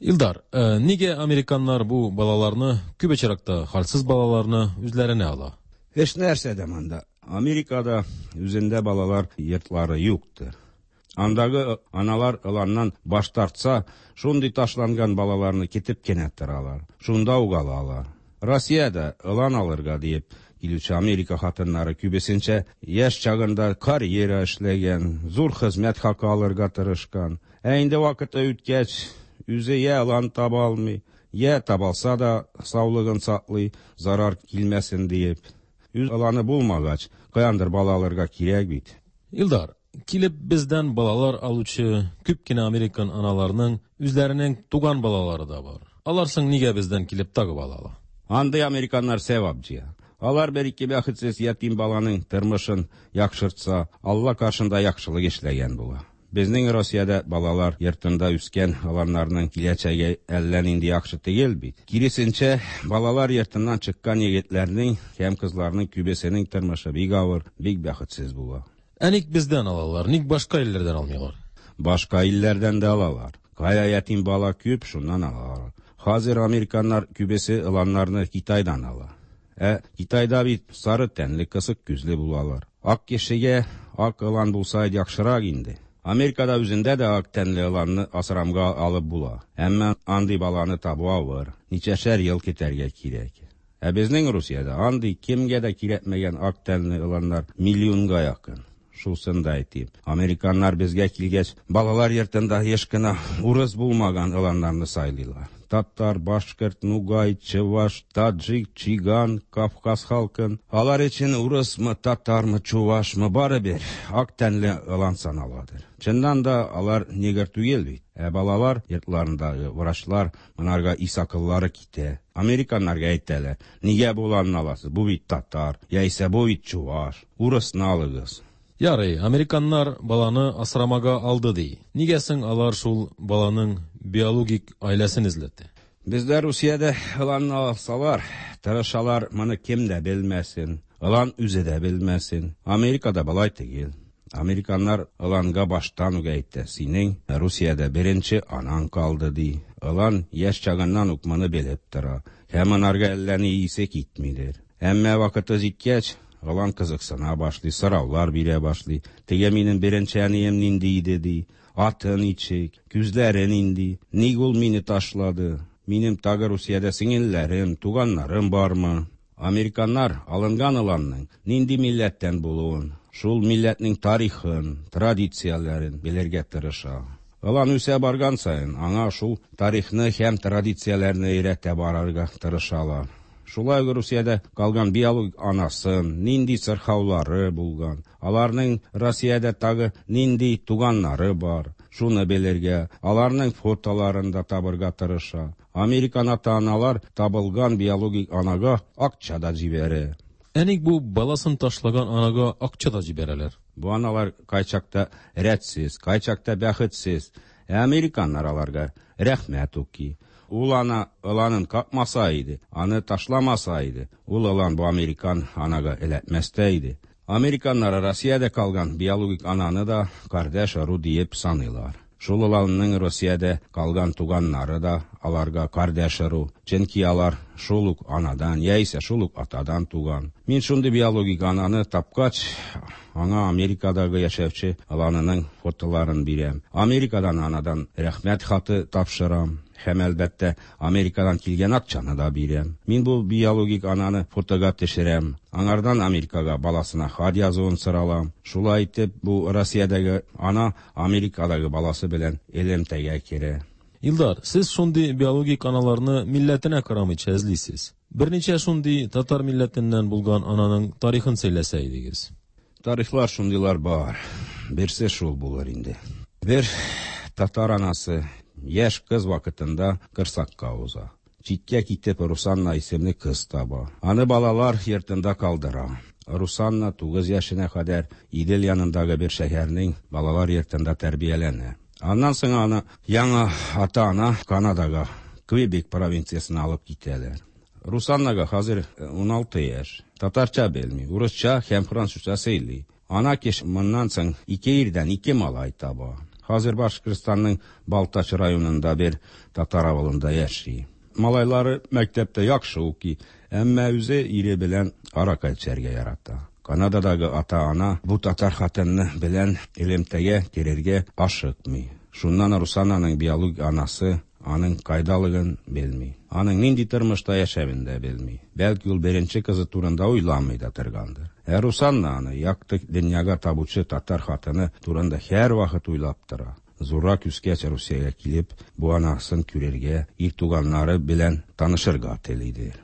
Илдар, нигә американнар бу балаларны, күп очракта хәлсез балаларны үзләренә ала? Эш нәрсәдә монда? Америкада үзендә балалар йортлары юктыр. Андагы аналар ыланнан баш тартса, шундый ташланган балаларны китеп кенә торалар. Шунда ук алалар. Россиядә ылан алырга диеп килүче Америка хатыннары күбесенчә яшь чагында карьера эшләгән, зур хезмәт хакы алырга тырышкан. Ә инде вакыты үткәч, үзе я ылан таба алмый, я табалса да саулыгын саклый, зарар килмәсен диеп. Үз ыланы булмагач, каяндыр бала алырга кирәк бит. Илдар, килеп бездән балалар алучы күп кенә американ аналарының үзләренең туган балалары да бар. Алар соң нигә бездән килеп тагы бала ала? Андый американнар сәвап җыя. Алар бер ике бәхетсез ятим баланың тормышын яхшыртса, Алла каршында яхшылык эшләгән була. Безнең Россиядә балалар йортында үскән аланнарның киләчәге әллә нинди яхшы түгел бит. Киресенчә, балалар йортыннан чыккан егетләрнең һәм кызларның күбесенең тормышы бик авыр, бик бәхетсез була. Ә ник бездән алалар, ник башка илләрдән алмыйлар? Башка илләрдән дә алалар. Кая ятим бала күп, шуннан алалар. Хәзер американнар күбесе ыланнарны Китайдан ала. Ә Китайда бит сары тәнле, кысык күзле булалар. Ак кешегә ак ылан булса яхшырак инде. Америкада үзендә дә ак тәнле ыланны асрамга алып була. Әмма андый баланы табу авыр. Ничәшәр ел көтәргә кирәк. Ә безнең Русиядә андый кемгә дә кирәкмәгән ак тәнле ыланнар миллионга якын. Шусын да әйтим. Американнар безгә килгәч, балалар йортында еш кына урыс булмаган ыланнарны сайлыйлар. Татар, башкорт, нугай, чуваш, таджик, чиган, кавказ халкын. Алар өчен урысмы, татармы, чувашмы, барыбер ак тәнле ылан саналадыр. Чыннан да алар негр түгел бит. Ә балалар йортларындагы врачлар монарга ис акыллары китә. Американнарга әйтәләр, нигә бу ыланны аласыз? Бу бит татар, яисә бу бит чуваш. Урысны алыгыз. Ярый, американнар баланы асрамага алды ди. Нигә соң алар шул баланың биологик гаиләсен эзләтә? Бездә Русиядә ыланны алсалар, тырышалар, моны кем дә белмәсен, ылан үзе дә белмәсен. Америкада болай түгел. Американнар ыланга баштан ук әйтә, синең Русиядә беренче анаң калды ди. Ылан яшь чагыннан ук моны белеп тора. Һәм анарга әллә ни исе китмидер. Әмма вакыты җиткәч, ылан кызыксына башлый, сораулар бирә башлый. Теге минем беренче әнием нинди иде, ди. Аты ничек, күзләре нинди, ник ул мине ташлады? Минем тагы Русиядә сеңелләрем, туганнарым бармы? Американнар алынган ыланның нинди милләттән булуын, шул милләтнең тарихын, традицияләрен белергә тырыша. Ылан үсә барган саен, аңа шул тарихны һәм традицияләрне өйрәтә барырга тырышалар. Шулай ук Русиядә калган биологик анасын, нинди сырхаулары булган, аларның Россиядә тагы нинди туганнары бар, шуны белергә, аларның фотоларын да табырга тырыша. Американ ата-аналар табылган биологик анага акча да җибәрә. Ә ник бу баласын ташлаган анага акча да җибәрәләр? Бу аналар кайчакта рәтсез, кайчакта бәхетсез. Ә американнар аларга рәхмәт укый. Ул ана ыланын какмаса иде, аны ташламаса иде, ул ылан бу американ анага эләкмәс тә иде. Американнар Россиядә калган биологик ананы да кардәш ыру диеп саныйлар. Шул ыланның Россиядә калган туганнары да аларга кардәш ыру, чөнки алар шул ук анадан яисә шул ук атадан туган. Мин шундый биологик ананы тапкач, аңа Америкадагы яшәүче ыланының фотоларын бирәм. Америкадан анадан рәхмәт хаты тапшырам. Һәм, әлбәттә, Америкадан килгән акчаны да бирәм. Мин бу биологик ананы фотога төшерәм. Аңардан Америкага баласына хат язуын соралам. Шулай итеп, бу Россиядәге ана Америкадагы баласы белән элемтәгә керә. Илдар, сез шундый биологик аналарны милләтенә карамыйча эзлисез. Берничә шундый татар милләтеннән булган ананың тарихын сөйләсә идегез. Тарихлар шундыйлар бар. Берсе шул булыр инде. Бер татар анасы яшь кыз вакытында корсакка уза. Читкә китеп Русанна исемле кыз таба. Аны балалар йортында калдыра. Русанна 9 яшенә кадәр Идел янындагы бер шәһәрнең балалар йортында тәрбияләнә. Аннан соң аны яңа ата-ана Канадага, Квебек провинциясенә алып китәләр. Русаннага хәзер 16 яшь. Татарча белми, урысча һәм французча сөйли. Ана кеше моннан соң ике ирдән ике малай таба. Хәзер Башкортстанның Балтач районында бер татар авылында яши. Малайлары мәктәптә яхшы укый, әмма үзе ире белән аракы эчәргә ярата. Канададагы ата-ана бу татар хатыны белән элемтәгә керергә ашыкмый. Шуннан Русананың биологик анасы аның кайдалыгын белми. Аның нинди тормышта яшәвен дә белми. Бәлки ул беренче кызы турында уйламый да торгандыр. Ә Русанна аны якты дөньяга табучы татар хатыны турында һәрвакыт уйлап тора. Зуррак үскәч Русиягә килеп, бу анасын күрергә, ир туганнары белән танышырга телидер.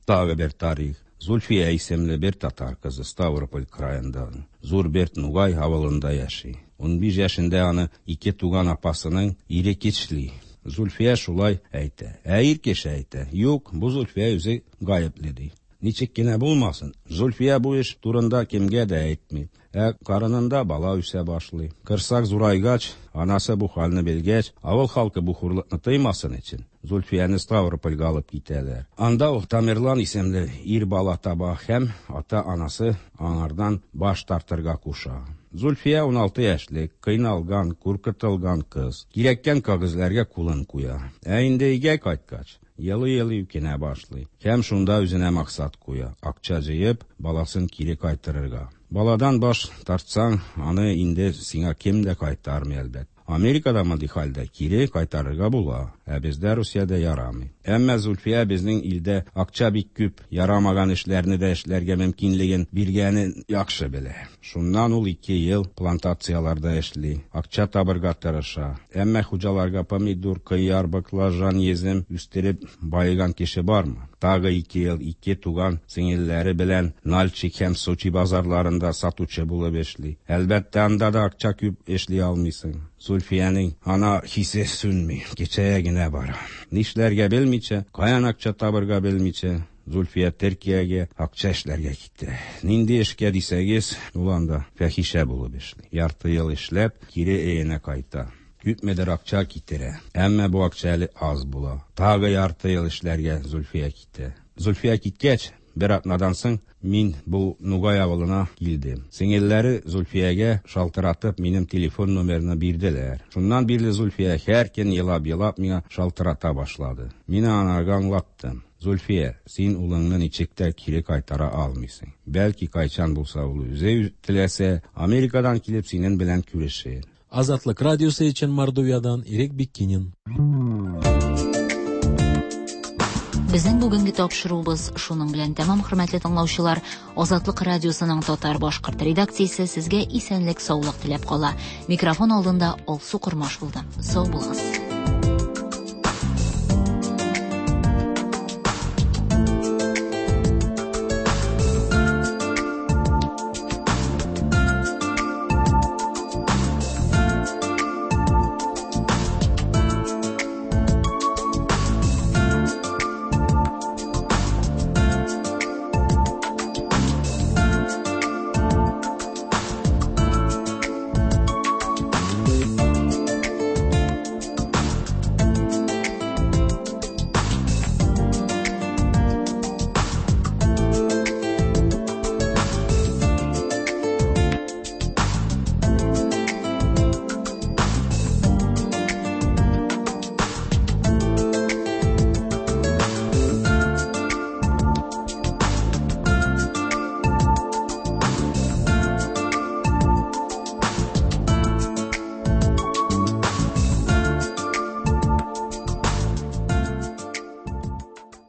Тагы бер тарих. Зульфия исемле бер татар кызы Ставрополь краенда, Зур Берт Нугай авылында яши. 15 яшендә аны ике туган апасының ире кичли. Зульфия шулай әйтә. Ә ир кеше әйтә: "Юк, бу Зульфия үзе гаепле", ди. Ничек кенә булмасын, Зульфия бу эш турында кемгә дә әйтми. Ә карынында бала үсә башлый. Корсак зурайгач, анасы бу хәлне белгәч, авыл халкы бу хурлыкны тоймасын өчен, Зульфияне Ставропольгә алып китәләр. Анда ул Тамерлан исемле ир бала таба һәм ата-анасы аңардан баш тартырга куша. Зульфия 16 яшьлек, кыйналган, куркытылган кыз. Кирәккән кәгазьләргә кулын куя. Ә инде өйгә кайткач, елый-елый үкенә башлый. Һәм шунда үзенә максат куя: акча җыеп, баласын кире кайтарырга. Баладан баш тартсаң, аны инде сиңа кем дә кайтармый, әлбәттә. Америкада мондый хәлдә кире кайтарырга була, ә бездә Русиядә ярамый. Әмма Зульфия безнең илдә акча бик күп, ярамаган эшләрне дә эшләргә мөмкинлеген биргәнен яхшы белә. Шуннан ул ике ел плантацияләрдә эшли, акча табырга тырыша. Әмма хуҗаларга помидор, кыяр, баклажан, йөзем үстереп баеган кеше бармы? Тагы ике ел ике туган сеңелләре белән Нальчик һәм Сочи базарларында сатучы булып эшли. Әлбәттә, анда да акча күп эшли алмыйсың. Зульфиянең ана хисе сүнми, кечәя генә бара. Нишләргә белмичә, каян акча табырга белмичә, Зульфия Төркиягә акча эшләргә китә. Нинди эшкә дисәгез, ул анда фәхишә булып эшли. Ярты ел эшләп, кире өенә кайта. Күпмедер акча китерә. Әмма бу акча әле аз була. Тагы ярты ел эшләргә Зульфия китә. Зульфия киткәч, бер атнадан соң мин бу Нугай авылына килдем. Сеңелләре Зульфиягә шалтыратып минем телефон номерны бирделәр. Шуннан бирле Зульфия һәр көн елап-елап миңа шалтырата башлады. Мин анарга аңлаттым. Зульфия, син улыңны ничек тә кире кайтара алмыйсың. Бәлки кайчан булса ул үзе теләсә, Америкадан килеп синең белән күрешер. Азатлык радиосы өчен Мордовиядан Ирек Биккинин. Безнең бүгенге тапшыруыбыз шуның белән тәмам, хөрмәтле тыңлаучылар. Азатлык радиосының татар-башкорт редакциясе сезгә исәнлек, саулык теләп кала. Микрофон алдында Алсу Кормаш булды. Сау булыгыз.